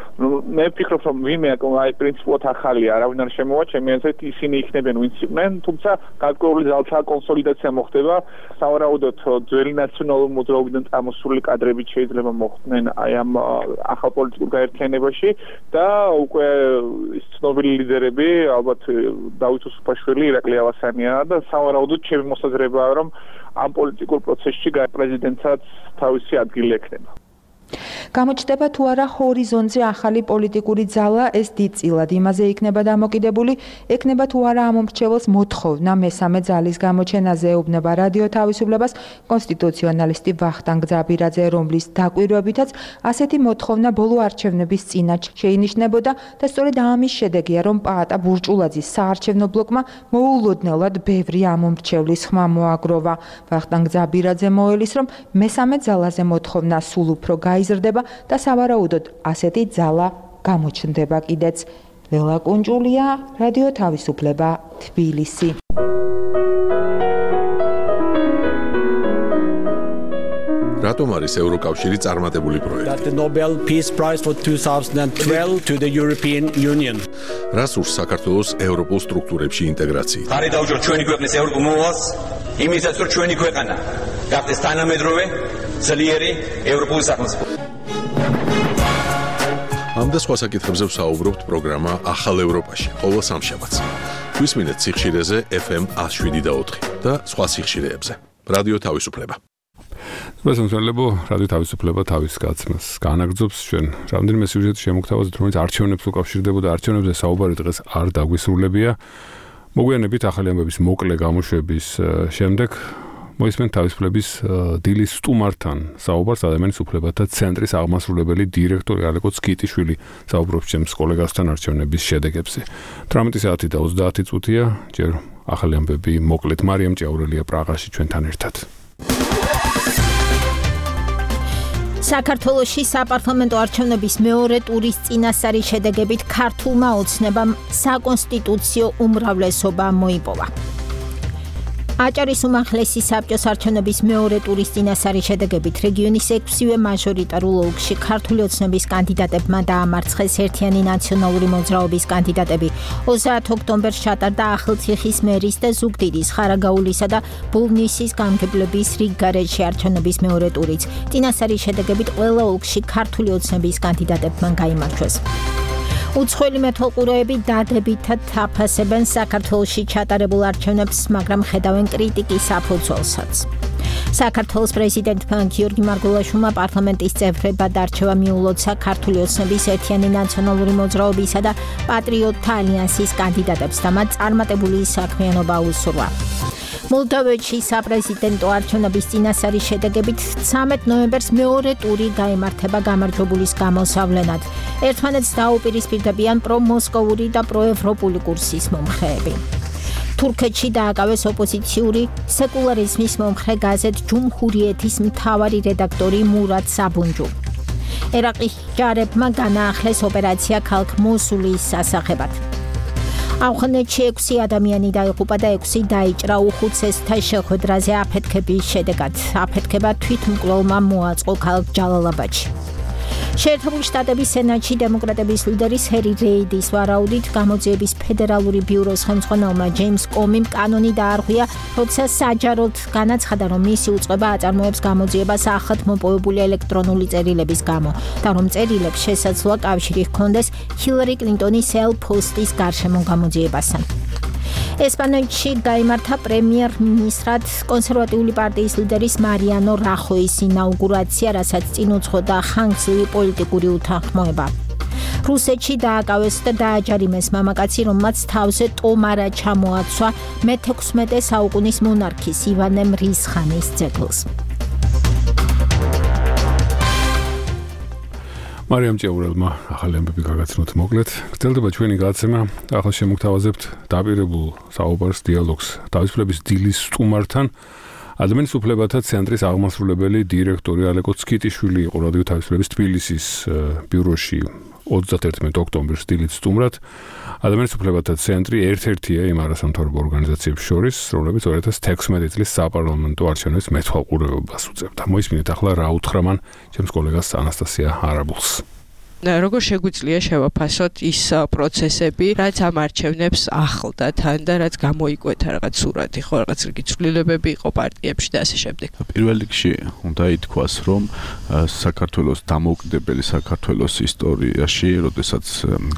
მე ვფიქრობ, რომ ვინმე აი პრინციპულად ახალია, არავინ არ შემოვა, ჩემი აზრით ისინი იქნებიან, ვინც იყვნენ, თუმცა გარკვეული ძალთა კონსოლიდაცია მოხდება, სავარაუდოდ ძველი ნაციონალური მოძრაობიდან წამოსული კადრებით შეიძლება მოხვდნენ აი ამ ახალ პოლიტიკურ გაერთიანებაში და უკვე ის ცნობილი ლიდერები ალბათ დავით უსუფაშვილი, ირაკლი ალასანია და სავარაუდოდ ჩემი მოსაზრებაა, რომ ამ პოლიტიკურ პროცესში პრეზიდენტსაც თავისი ადგილი ექნება. გამოჩნდება თუ არა ჰორიზონტზე ახალი პოლიტიკური ძალა, ეს დიდწილად იმაზე იქნება დამოკიდებული, ექნება თუ არა ამ მრჩეველს მოთხოვნა მესამე ძალის გამოჩენაზე, ეუბნება რადიო თავისუფლებას კონსტიტუციონალისტი ვახტანგ ძაბირაძე, რომლის დაკვირვებითაც ასეთი მოთხოვნა ბოლო არჩევნების წინათ შეინიშნებოდა და სწორედ ამის შედეგია, რომ პაატა ბურჭულაძის საარჩევნო ბლოკმა მოულოდნელად ბევრი ამ მრჩევლის ხმა მოაგროვა. ვახტანგ ძაბირაძე მოელის, რომ მესამე ძალაზე მოთხოვნა სულ უფრო იზრდება და სავარაუდოდ ასეთი ძალა გამოჩნდება კიდეც. ლელა კუნჭულია, რადიო თავისუფლება, თბილისი. რატომ არის ევროკავშირი წარმატებული პროექტი? The Nobel Peace Prize for 2012 to the European Union. რას ურს საქართველოს ევროპულ სტრუქტურებში ინტეგრაცია? ხარი დავუჯერ ჩვენი ქვეყნის ევროპულ მოვალს, იმისაც რომ ჩვენი ქვეყანა გახდეს თანამედროვე ძლიერი ევროპული სახელმწიფო. ამ და სხვა საკითხებზე ვსაუბრობთ პროგრამა ახალ ევროპაში, ყოველ სამშაბათს. გვისმინეთ სიხშირეზე FM 107.4 და სხვა სიხშირეებზე. რადიო თავისუფლება. მოსამსახურებო რადიო თავისუფლება თავის გაცნას განაგრძობს ჩვენ რამდენიმე სიუჟეტი შემოგთავაზეთ, რომელიც არჩევნებს უკავშირდებოდა, არჩევნებზე საუბარი დღეს არ დაგვისრულებია. მოგვიანებით ახალი ამბების მოკლე გამოშვების შემდეგ მოისმენთ თავისუფლების დილის სტუმართან საუბარს ადამიანის უფლებათა ცენტრის აღმასრულებელი დირექტორი ალეკო ცკიტიშვილი საუბრობს ჩემს კოლეგასთან არჩევნების შედეგებზე. 18 საათი და 30 წუთია, ჯერ ახალი ამბები მოკლედ მარიამ ჭიაურელია პრაღაში ჩვენთან ერთად. საქართველოში საპარლამენტო არჩევნების მეორე ტურის წინასწარი შედეგებით ქართულმა ოცნებამ საკონსტიტუციო უმრავლესობა მოიპოვა. აჭარის უმაღლესი საბჭოს არჩევნების მეორე ტურის წინასწარი შედეგებით რეგიონის 6-ვე მაჟორიტარულ ოლქში ქართული ოცნების კანდიდატებმა დაამარცხეს ერთიანი ნაციონალური მოძრაობის კანდიდატები. 30 ოქტომბერს ჩატარდა ახალციხის მერის და ზუგდიდის, ხარაგაულისა და ბულნისის გამგებლების რიგგარეჯში არჩევნების მეორე ტურიც. წინასწარი შედეგებით ყველა ოლქში ქართული ოცნების კანდიდატებმა გაიმარჯვეს. უცხოელი მეთვალყურეები დადებითად აფასებენ საქართველოში ჩატარებულ არჩევნებს, მაგრამ ხედავენ კრიტიკის საფუძველსაც. საქართველოს პრეზიდენტმა გიორგი მარგველაშვილმა პარლამენტის წევრებად არჩევა მიულოცა ქართული ოცნების ერთიანი ნაციონალური მოძრაობისა და პატრიოტთა ალიანსის კანდიდატებს და მათ წარმატებული საქმიანობა უსურვა. მოლდოვეთში საპრეზიდენტო არჩევნების წინასწარი შედეგებით 13 ნოემბერს მეორე ტური გაიმართება გამარჯვებულის გამოსავლენად. ერთმანეთს დაუპირისპირდებიან პრომოსკოვური და პროევროპული კურსის მომხრეები. თურქეთში დააკავეს ოპოზიციური სეკულარიზმის მომხრე გაზეთ ჯუმჰურიეთის მთავარი რედაქტორი მურად საბუნჯუ. ერაყის ჯარებმა განაახლეს ოპერაცია ქალაქ მოსულის სასახებად. ავღანეთში 6 ადამიანი დაიღუპა და 6 დაიჭრა უხუცესთა შეხვედრაზე აფეთქების შედეგად. აფეთქება თვითმკვლელმა მოაწყო ქალაქ ჯალალაბადში. შეერთებული შტატების სენატში დემოკრატების ლიდერის ჰერი რეიდის ვარაუდით გამოძიების ფედერალური ბიუროს ხელმძღვანელმა ჯეიმს კომიმ კანონი დაარღვია, როცა საჯაროდ განაცხადა, რომ მისი უწყება აწარმოებს გამოძიებას ახლად მოპოვებული ელექტრონული წერილების გამო და რომ წერილებს შესაძლოა კავშირი ჰქონდეს ჰილარი კლინტონის ელ-პოსტის გარშემო გამოძიებასთან. ესპანეთში გაიმართა პრემიერ-მინისტრად კონსერვატიული პარტიის ლიდერის მარიანო რახოის ინაუგურაცია, რასაც წინ უძღოდა ხანგრძლივი პოლიტიკური უთანხმოება. რუსეთში დააკავეს და დააჯარიმეს მამაკაცი, რომელმაც თავზე ტომარა ჩამოაცვა მე-16 საუკუნის მონარქის ივანე მრისხანის ძეგლს. მარიამ ჭიაურელმა ახალი ამბები გაგაცნოთ მოკლედ. გრძელდება ჩვენი გადაცემა. ახლა შემოგთავაზებთ დაპირებულ საუბარს, დიალოგს თავისუფლების დილის სტუმართან. ადამიანის უფლებათა ცენტრის აღმასრულებელი დირექტორი ალეკო ცკიტიშვილი იყო რადიო თავისუფლების თბილისის ბიუროში 31 ოქტომბერს დილით სტუმრად. ადამიანის უფლებათა ცენტრი ერთ-ერთია იმ არასამთავრობო ორგანიზაციებს შორის, რომლებიც 2016 წლის საპარლამენტო არჩევნების მეთვალყურეობას უწევდა. მოისმინეთ ახლა რა უთხრა მან ჩემს კოლეგას ანასტასია არაბულს. როგორ შეგვიძლია შევაფასოთ ის პროცესები, რაც ამ არჩევნებს ახლდა თან და რაც გამოიკვეთა რაღაც სურათი, ხო, რაღაც რიგი ცვლილებები იყო პარტიებში და ასე შემდეგ. პირველ რიგში უნდა ითქვას, რომ საქართველოს დამოუკიდებელი საქართველოს ისტორიაში, როდესაც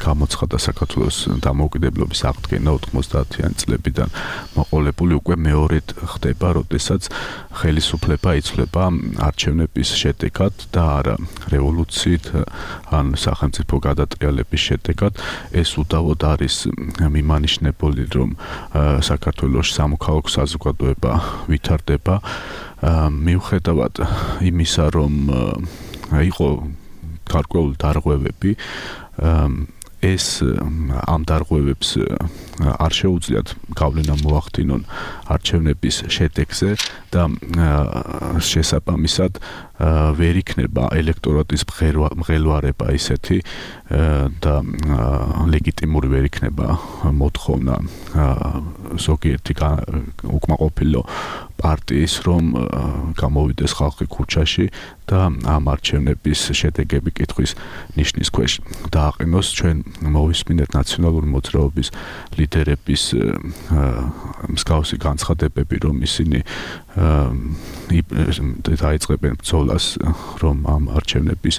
გამოცხადდა საქართველოს დამოუკიდებლობის აღდგენა 90-იან წლებიდან მოყოლებული უკვე მეორედ ხდება, როდესაც ხელისუფლება იცვლება არჩევნების შედეგად და არა რევოლუციით ან სახელმწიფო გადატრიალების შედეგად. ეს უდავოდ არის მიმანიშნებული, რომ საქართველოს სამოქალაქო საზოგადოება ვითარდება, მიუხედავად იმისა, რომ იყო გარკვეული დარღვევები, ეს ამ დარღვევებს არ შეუძლიათ გავლენა მოახდინონ არჩევნების შედეგზე და შესაბამისად ვერ იქნება ელექტორატის მღელვარება ისეთი და ლეგიტიმური ვერ იქნება მოთხოვნა ზოგიერთი უკმაყოფილო პარტიის, რომ გამოვიდეს ხალხი ქუჩაში და ამ არჩევნების შედეგები კითხვის ნიშნის ქვეშ დააყენოს. ჩვენ მოვისმინეთ ნაციონალური მოძრაობის ლიდერების მსგავსი განცხადებები, რომ ისინი დაიწყებენ ბრძოლას, რომ ამ არჩევნების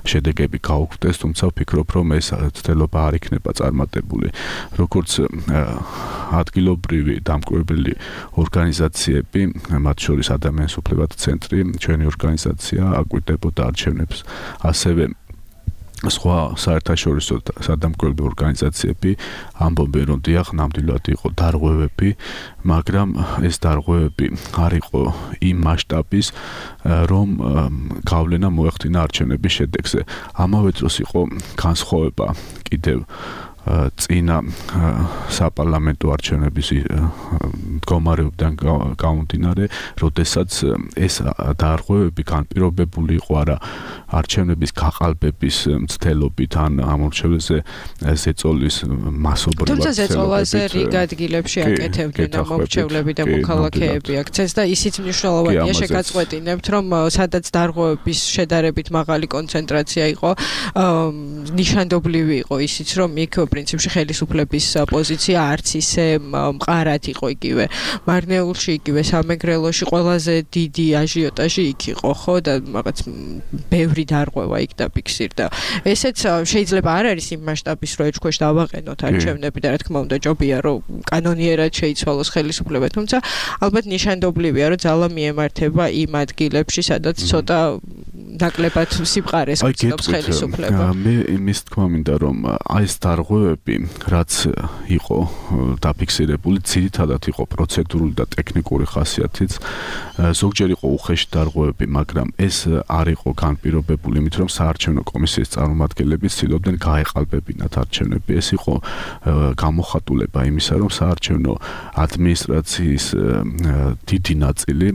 შედეგები გაუქმდეს, თუმცა ვფიქრობ, რომ ეს ცდელობა არ იქნება წარმატებული. როგორც ადგილობრივი დამკვირვებელი ორგანიზაციები, მათ შორის ადამიანის უფლებათა ცენტრი, ჩვენი ორგანიზაცია აკვირდებოდა არჩევნებს, ასევე სხვა საერთაშორისო სადამკვირვებლო ორგანიზაციები ამბობენ, რომ დიახ, ნამდვილად იყო დარღვევები, მაგრამ ეს დარღვევები არ იყო იმ მასშტაბის, რომ გავლენა მოეხდინა არჩევნების შედეგზე. ამავე დროს იყო განსხვავება კიდევ წინა საპარლამენტო არჩევნების მდგომარეობიდან გამომდინარე, როდესაც ეს დარღვევები განპირობებული იყო არა არჩევნების გაყალბების მცდელობით ან ამორჩევლზე ზეწოლის მასობრივად. თუმცა ზეწოლაზე რიგ ადგილებში აკეთებდნენ ამორჩევლები და მოქალაქეები აქცეს და ისიც მნიშვნელოვანია შეგაწყვეტინებთ, რომ სადაც დარღვევების შედარებით მაღალი კონცენტრაცია იყო, ნიშანდობლივი იყო ისიც, რომ იქ პრინციპში ხელისუფლების პოზიცია არც ისე მყარად იყო იგივე მარნეულში, იგივე სამეგრელოში ყველაზე დიდი აჟიოტაჟი იქ იყო, ხო და რაღაც ბევრი დარღვევა იქ დაფიქსირდა. ესეც შეიძლება არ არის იმ მასშტაბის, რომ ეჭქვეშ დავაყენოთ არჩევნები და რა თქმა უნდა ჯობია, რომ კანონიერად შეიცვალოს ხელისუფლება, თუმცა ალბათ ნიშანდობლივია, რომ ძალა მიემართება იმ ადგილებში, სადაც ცოტა ნაკლებად სიბრყარეს გწნობს ხელისუფლება. მე იმის თქმა მინდა, რომ აი ეს დარღვევები, რაც იყო დაფიქსირებული, ძირითადად იყო პროცედურული და ტექნიკური ხასიათიც. ზოგჯერ იყო უხეში დარღვევები, მაგრამ ეს არ იყო განპირობებული იმით, რომ საარჩევნო კომისიის წარმომადგენლები ცდილობდნენ გაეყალბებინათ არჩევნები. ეს იყო გამოხატულება იმისა, რომ საარჩევნო ადმინისტრაციის დიდი ნაწილი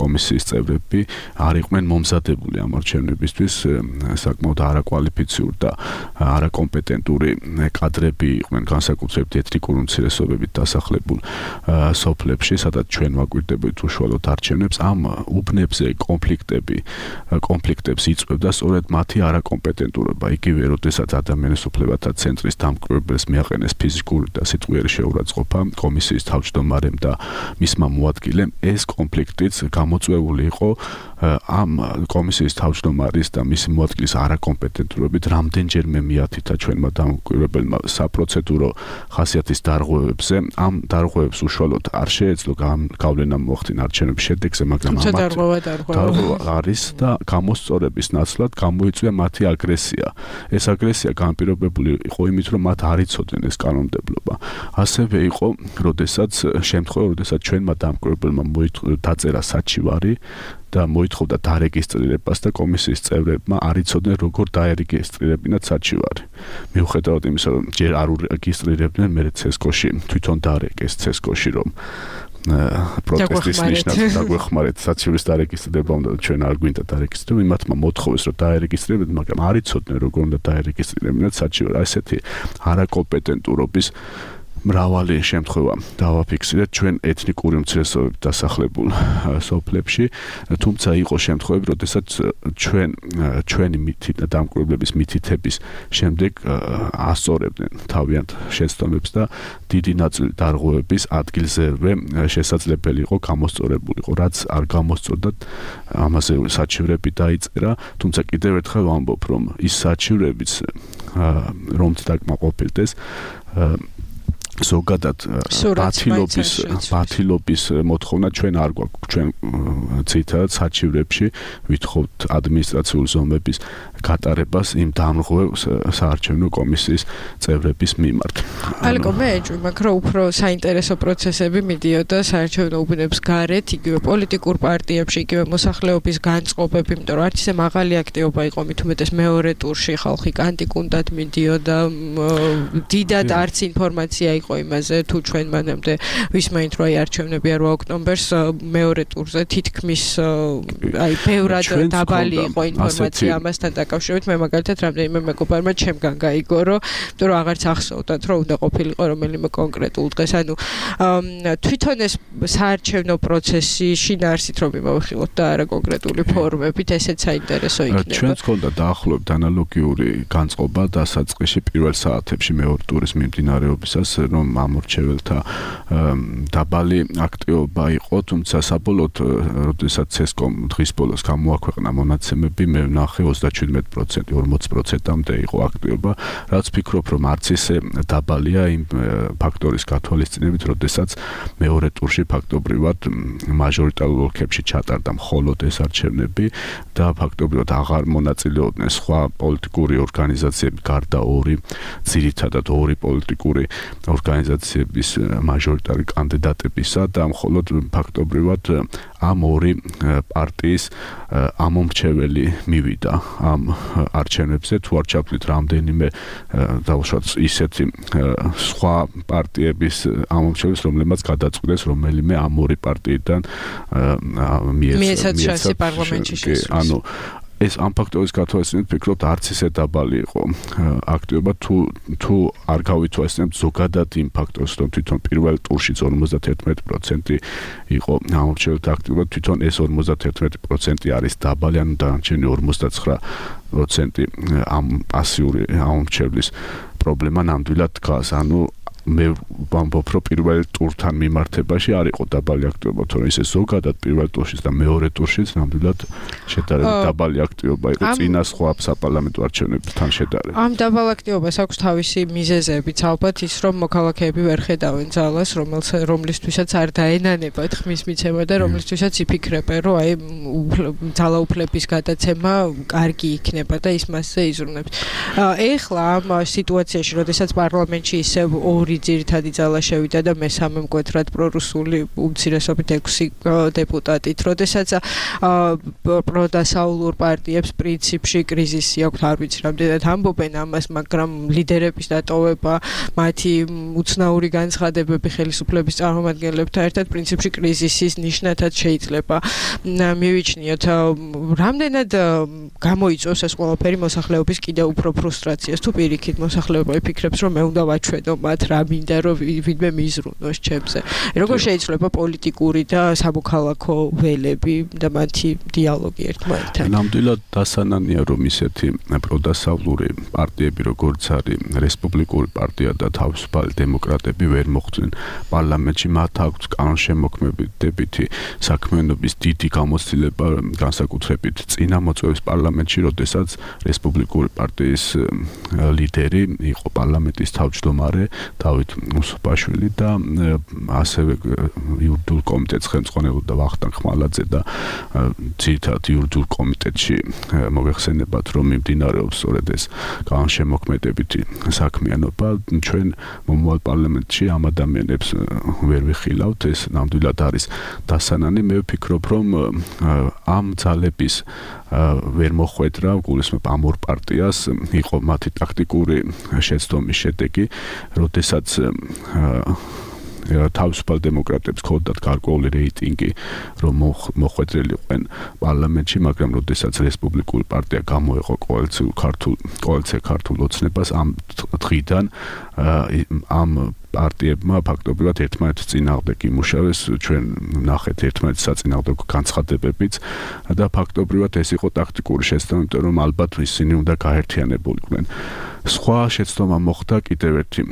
კომისიის წევრები არ იყვნენ მომზადებული ამ არჩევნებისთვის, საკმაოდ არაკვალიფიციური და არაკომპეტენტური კადრები იყვნენ განსაკუთრებით ეთნიკური უმცირესობებით დასახლებულ სოფლებში, სადაც ჩვენ ვაკვირდებოდით უშუალოდ არჩევნებს. ამ უბნებზე კონფლიქტებს იწვევდა სწორედ მათი არაკომპეტენტურობა. იგივე, როდესაც ადამიანის უფლებათა ცენტრის დამკვირვებელს მიაყენეს ფიზიკური და სიტყვიერი შეურაცხყოფა კომისიის თავმჯდომარემ და მისმა მოადგილემ, ეს კონფლიქტიც გამოწვეული იყო ამ კომისიის თავმჯდომარის და მისი მოადგილის არაკომპეტენტურობით. რამდენჯერმე მიათითა ჩვენმა დამკვირვებელმა საპროცედურო ხასიათის დარღვევებზე. ამ დარღვევებს უშუალოდ არ შეეძლო გავლენა მოახდინა არჩევნების შედეგზე, მაგრამ დარღვევა არის და გამოსწორების ნაცვლად გამოიწვია მათი აგრესია. ეს აგრესია განპირობებული იყო იმით, რომ მათ არ იცოდნენ ეს კანონმდებლობა. ასევე იყო, როდესაც ჩვენმა დამკვირვებელმა დაწერა საჩივარი და მოითხოვდა დარეგისტრირებას და კომისიის წევრებმა არ იცოდნენ როგორ დაერეგისტრირებინათ საჩივარი. მიუხედავად იმისა, რომ ჯერ არ რეგისტრირებდნენ, მერე ცესკოში თვითონ დარეგეს ცესკოში, რომ პროტესტის ნიშნად დაგვეხმარეთ საჩივრის დარეგისტრირება, უნდა ჩვენ არ გვინდა დარეგისტრირება, იმათმა მოთხოვეს, რომ დაერეგისტრირებინათ, მაგრამ არ იცოდნენ როგორ უნდა დაერეგისტრირებინათ საჩივარი. ესეთი არაკომპეტენტურობის მრავალი შემთხვევა დავაფიქსირეთ ჩვენ ეთნიკური უმცირესობებით დასახლებულ სოფლებში, თუმცა იყო შემთხვევები, როდესაც ჩვენი დამკვირვებლების მითითების შემდეგ ასწორებდნენ თავიანთ შეცდომებს და დიდი ნაწილი დარღვევების ადგილზევე შესაძლებელი იყო გამოსწორებული იყო, რაც არ გამოსწორდათ, ამაზე საჩივრები დაიწერა, თუმცა კიდევ ერთხელ ვამბობ, რომ ის საჩივრებიც რომც დაკმაყოფილდეს ზოგადად ბათილობის მოთხოვნა ჩვენ არ გვაქვს. ჩვენ ცითად საჩივრებში ვითხოვთ ადმინისტრაციული ზომების გატარებას იმ დამრღვევ საარჩევნო კომისიის წევრების მიმართ. ალეკო მე ეჭვმაქ, რომ უფრო საინტერესო პროცესები მიდიოდა საარჩევნო უბნებს გარეთ, იგივე პოლიტიკურ პარტიებში, იგივე მოსახლეობის განწყობები, იმიტომ რომ არც ისე მაღალი აქტივობა იყო, მით უმეტეს მეორე ტურში ხალხი კანტიკუნდად მიდიოდა, დიდად არც ინფორმაცია იყო იმაზე, თუ ჩვენ მანამდე ვისმენთ, რომ აი არჩევნები 8 ოქტომბერს მეორე ტურზე თითქმის აი ბევრად დაბალი იყო ინფორმაცია ამასთან დაკავშირებით. მე მაგალითად რამდენიმე მეგობარმა ჩემგან გაიგორო, იმიტომ რომ აღარც ახსოვდათ, რომ უნდა ყოფილიყო რომელიმე კონკრეტულ დღეს. ანუ თვითონ ეს საარჩევნო პროცესი შინაარსით რომ იმოვხილოთ და არა კონკრეტული ფორმებით, ესეც საინტერესო იქნება. ჩვენც გქონდა დაახლოებით ანალოგიური განწყობა დასაწყისში პირველ საათებში მეორე ტურის მიმდინარეობისას, რომ ამორჩეველთა დაბალი აქტივობა იყო, თუმცა საბოლოოდ, როდესაც ცესკომ დღის ბოლოს გამოაქვეყნა მონაცემები, მე ვნახე 37%, 40%-მდე იყო აქტივობა, რაც ფიქრობ, რომ არც ისე დაბალია იმ ფაქტორის გათვალისწინებით, როდესაც მეორე ტურში ფაქტობრივად მაჟორიტარულ ოლქებში ჩატარდა მხოლოდ ეს არჩევნები და ფაქტობრივად აღარ მონაწილეობდნენ სხვა პოლიტიკური ორგანიზაციები, გარდა ძირითადად ორი პოლიტიკური ორგანიზაციების მაჟორიტარი კანდიდატებისა და მხოლოდ ფაქტობრივად ამ ორი პარტიის ამომრჩეველი მივიდა ამ არჩევნებზე თუ არ ჩავთვლით რამდენიმე დაუშვათ ისეთი სხვა პარტიების ამომრჩეველს რომლებმაც გადაწყვიტეს რომელიმე ამ ორი პარტიიდან მიეცათ შანსი პარლამენტში შესვლის. ანუ ეს ამ ფაქტორის გათვალისწინებით ვფიქრობ არც ისე დაბალი იყო აქტივობა თუ არ გავითვალისწინებთ ზოგადად იმ ფაქტორს რომ თვითონ პირველ ტურშიც 51% იყო ამომრჩეველთა აქტივობა თვითონ ეს 51% არის დაბალი ანუ დანარჩენი 59% ამ პასიური ამომრჩევლის პრობლემა ნამდვილად დგას ანუ მე ვამბობ რომ პირველ ტურთან მიმართებაში არ იყო დაბალი აქტივობა თორემ ისე ზოგადად პირველ ტურშიც და მეორე ტურშიც ნამდვილად შედარებით დაბალი აქტივობა იყო წინა სხვა საპარლამენტო არჩევნებთან შედარებით. ამ დაბალ აქტივობას აქვს თავისი მიზეზებიც ალბათ ის რომ მოქალაქეები ვერ ხედავენ ძალას რომლისთვისაც არ დაენანებათ ხმის მიცემა და რომლისთვისაც იფიქრებენ რომ აი ძალაუფლების გადაცემა კარგი იქნება და ის მასზე იზრუნებს. ეხლა ამ სიტუაციაში როდესაც პარლამენტში ისევ ორი ძირითადი ძალა შევიდა და მესამე მკვეთრად პრორუსული უმცირესობით 6 დეპუტატით. როდესაც პროდასაულურ პარტიებს პრინციპში კრიზისი აქვს, არ ვიცი რამდენად ამბობენ ამას, მაგრამ ლიდერების დატოვება, მათი უცნაური განცხადებები ხელისუფლების წარმომადგენლებთან ერთად პრინციპში კრიზისის ნიშნათად შეიძლება მივიჩნიოთ. რამდენად გამოიწვევს ეს ყველაფერი მოსახლეობის კიდევ უფრო ფრუსტრაციას თუ პირიქით მოსახლეობა იფიქრებს რომ მე უნდა ვაჩვენო მათ რა მინდა რომ ვინმე მიზრუნოს ჩემზე. როგორ შეიძლება პოლიტიკური და სამოქალაქო ველები და მათი დიალოგი ერთმანეთთან? ნამდვილად დასანანია რომ ისეთი პროდასავლური პარტიები როგორც არის რესპუბლიკური პარტია და თავისუფალი დემოკრატები ვერ მოხვდნენ პარლამენტში მათ აქვს კანონშემოქმედებითი საქმიანობის დიდი გამოცდილება განსაკუთრებით წინა მოწვევის პარლამენტში როდესაც რესპუბლიკური პარტიის ლიდერი იყო პარლამენტის თავმჯდომარე დავით უსუპაშვილი და ასევე იურიდიულ კომიტეტს ხელმძღვანელობდა ვახტანგ ხმალაძე და ძირითადად იურიდიულ კომიტეტში მოიხსენებათ რომ მიმდინარეობს სწორედ ეს განსაკუთრებითი საქმიანობა ჩვენ მომავალ პარლამენტში ამ ადამიანებს ვერ ვიხილავთ ეს ნამდვილად არის დასანანი მე ვფიქრობ რომ ამ ძალების ვერ მოხვედრა გულისხმობ ამ ორ პარტიას იყო მათი ტაქტიკური შეცდომის შედეგი როდესაც თავისუფალ დემოკრატებს ქონდათ გარკვეული რეიტინგი რომ მოხვედრილიყვენ პარლამენტში მაგრამ როდესაც რესპუბლიკური პარტია გამოეყო კოალიცია ქართულ ოცნებას ამ დღიდან ამ პარტიებმა ფაქტობრივად ერთმანეთის წინააღმდეგ იმუშავეს ჩვენ ნახეთ ერთმანეთის საწინააღმდეგო განცხადებებიც და ფაქტობრივად ეს იყო ტაქტიკური შეცდომა იმიტომ რომ ალბათ ისინი უნდა გაერთიანებულიყვნენ სხვა შეცდომა მოხდა კიდევ ერთი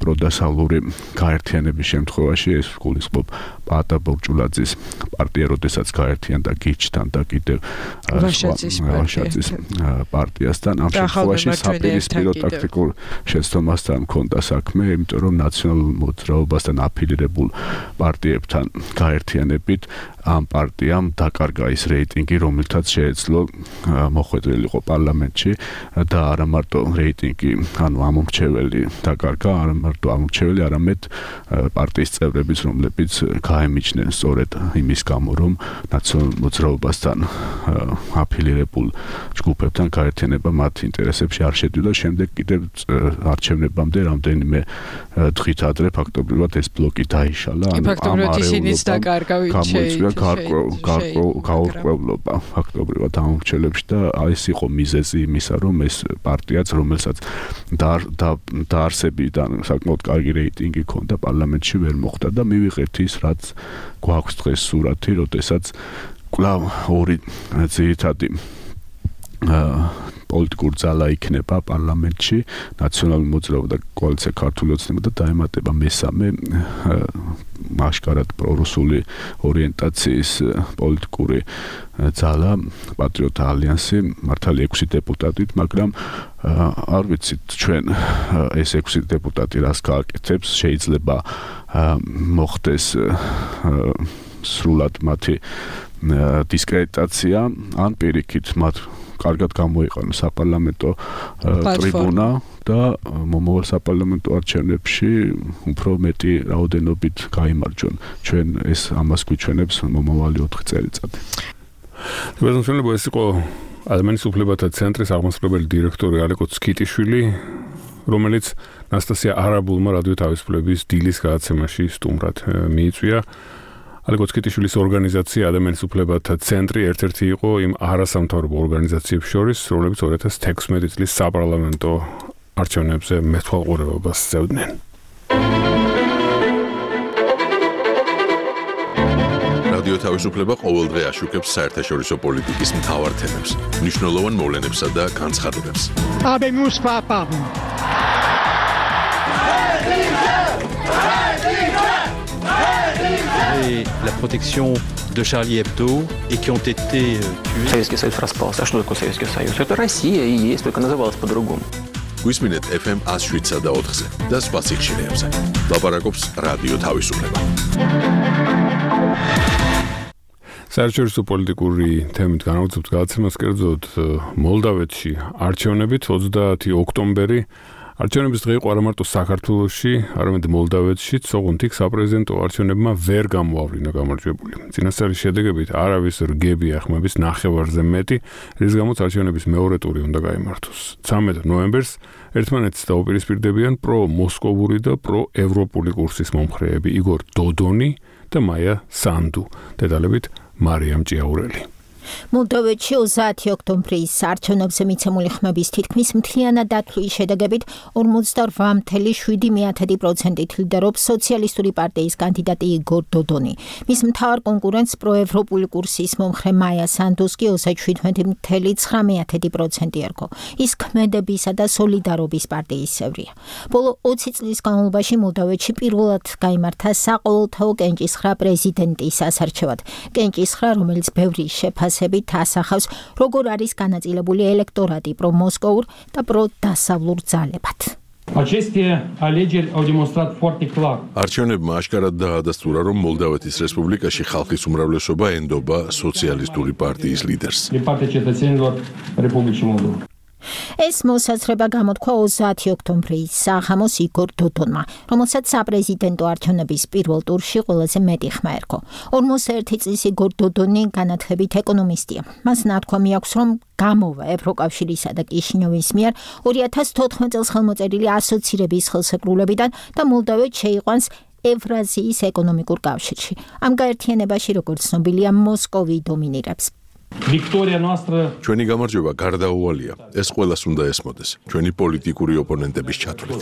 პროდასავლური გაერთიანების შემთხვევაში ეს გულისხმობ პაატა ბორჭულაძის პარტია როდესაც გაერთიანდა გიჩთან და კიდევ ვაშაძის პარტიასთან ამ შემთხვევაში საპირისპირო ტაქტიკურ შეცდომასთან მქონდა საქმე იმიტომ რომ ნაციონალურ მოძრაობასთან აფილირებულ პარტიებთან გაერთიანებით ამ პარტიამ დაკარგა ის რეიტინგი რომელთაც შეეძლო მოხვედრილიყო პარლამენტში და არა მარტო რეიტინგი ანუ ამომრჩეველი დაკარგა არა მარტო ამომრჩეველი არამედ პარტიის წევრებიც რომლებიც გაემიჩნენ სწორედ იმის გამო რომ ნაციონალურ მოძრაობასთან აფილირებულ ჯგუფებთან გაერთიანება მათ ინტერესებში არ შედიოდა შემდეგ კიდევ არჩევნებამდე რამდენიმე დღით ადრე ფაქტობრივად ეს ბლოკი დაიშალა ანუ ფაქტობრივად ისინიც დაკარგა გამოიწვია გაურკვევლობა ფაქტობრივად ამომრჩევლებში და ეს იყო მიზეზი იმისა რომ ეს პარტიაც რომელსაც დაარსებიდან საკმაოდ კარგი რეიტინგი ჰქონდა პარლამენტში ვერ მოხვდა და მივიღეთ ის რაც გვაქვს დღეს სურათი როდესაც კვლავ ორი ძირითადი პოლიტიკური ძალა იქნება პარლამენტში ნაციონალური მოძრაობა და კოალიცია ქართული ოცნება და დაემატება მესამე მასშტაბად პრორუსული ორიენტაციის პოლიტიკური ძალა პატრიოტთა ალიანსი მართალი 6 დეპუტატით მაგრამ არ ვიცით ჩვენ ეს 6 დეპუტატი რას გააკეთებს შეიძლება მოხდეს სრულად მათი დისკრედიტაცია ან პირიქით მათ კარგად გამოიყენო საპარლამენტო ტრიბუნა და მომავალ საპარლამენტო არჩევნებში უფრო მეტი რაოდენობით გაიმარჯვონ. ჩვენ ეს ამას გვიჩვენებს მომავალი 4 წელიწადი. ბაზარშენებო ეს იყო ადამიანის უფლებათა ცენტრის აღმასრულებელი დირექტორი ალეკო ცკიტიშვილი, რომელიც ნასტასია არაბულმა რადიო თავისუფლების დილის გადაცემაში სტუმრად მიიწვია. ალეკო ცკიტიშვილის ორგანიზაცია ადამიანის უფლებათა ცენტრი ერთ-ერთი იყო იმ არასამთავრობო ორგანიზაციებს შორის, რომლებიც 2016 წლის საპარლამენტო არჩევნებზე მეთვალყურეობას სცევდნენ. რადიო თავისუფლება ყოველდღე აშუქებს საერთაშორისო პოლიტიკის მთავარ თემებს, მნიშვნელოვან მოვლენებსა და განცხადებებს. Et la protection de Charlie Hebdo et qui ont été tués. Советский Союз распался. А что такое Советский Союз? Это Россия и есть, только называлась по-другому. Გვისმინეთ FM 107-ზე და 4-ზე და სხვა სიხშირეებზე. ლაპარაკობს რადიო თავისუფლება. საერთაშორისო პოლიტიკური თემით განავითარებთ გადაცემას კერძოდ მოლდავეთში არჩევნებით 30 ოქტომბერი არჩევნების დღე იყო არა მარტო საქართველოში, არამედ მოლდავეთშიც, ოღონდ იქ საპრეზიდენტო არჩევნებმა ვერ გამოავლინა გამარჯვებული. წინასწარი შედეგებით არავის რგები ახმების ნახევარზე მეტი, რის გამოც არჩევნების მეორე ტური უნდა გაიმართოს. 13 ნოემბერს ერთმანეთს დაუპირისპირდებიან პრო-მოსკოვური და პრო-ევროპული კურსის მომხრეები იგორ დოდონი და მაია სანდუ. დეტალებით მარიამ ჭიაურელი. მოლდოვეთში 30 ოქტომბრის არჩევნებზე მიცემული ხმების თითქმის მთლიანად დათვლის შედეგებით 48.7%-ით ლიდერობს სოციალისტური პარტიის კანდიდატი იგორ დოდონი. მის მთავარ კონკურენტს პროევროპული კურსის მომხრე მაია სანდუს კი 37.9% ერგო. ის ქმედებისა და სოლიდარობის პარტიის წევრია. ბოლო 20 წლის განმავლობაში მოლდოვეთში პირველად გაიმართა საყოველთაო კენჭისხრა პრეზიდენტის ასარჩევად. კენჭისხრა, რომელიც ბევრი შეფასებით ასახავს, როგორ არის განაწილებული ელექტორატი პრომოსკოვურ და პროდასავლურ ძალებად. არჩევნებმა აშკარად დაადასტურა, რომ მოლდავეთის რესპუბლიკაში ხალხის უმრავლესობა ენდობა სოციალისტური პარტიის ლიდერს. ეს მოსაზრება გამოთქვა 30 ოქტომბრის საღამოს იგორ დოდონმა, რომელსაც საპრეზიდენტო არჩევნების პირველ ტურში ყველაზე მეტი ხმა ერგო. 41 წლის იგორ დოდონი განათლებით ეკონომისტია. მას ნათქვამი აქვს, რომ გამოვა ევროკავშირისა და კიშინიოვის მიერ 2014 წელს ხელმოწერილი ასოცირების ხელსეკრულებიდან და მოლდოვეთს შეიყვანს ევრაზიის ეკონომიკურ კავშირში. ამ გაერთიანებაში, როგორც ცნობილია, მოსკოვი დომინირებს. ჩვენი გამარჯვება გარდაუვალია. ეს ყველას უნდა ესმოდეს. ჩვენი პოლიტიკური ოპონენტების ჩათვლით.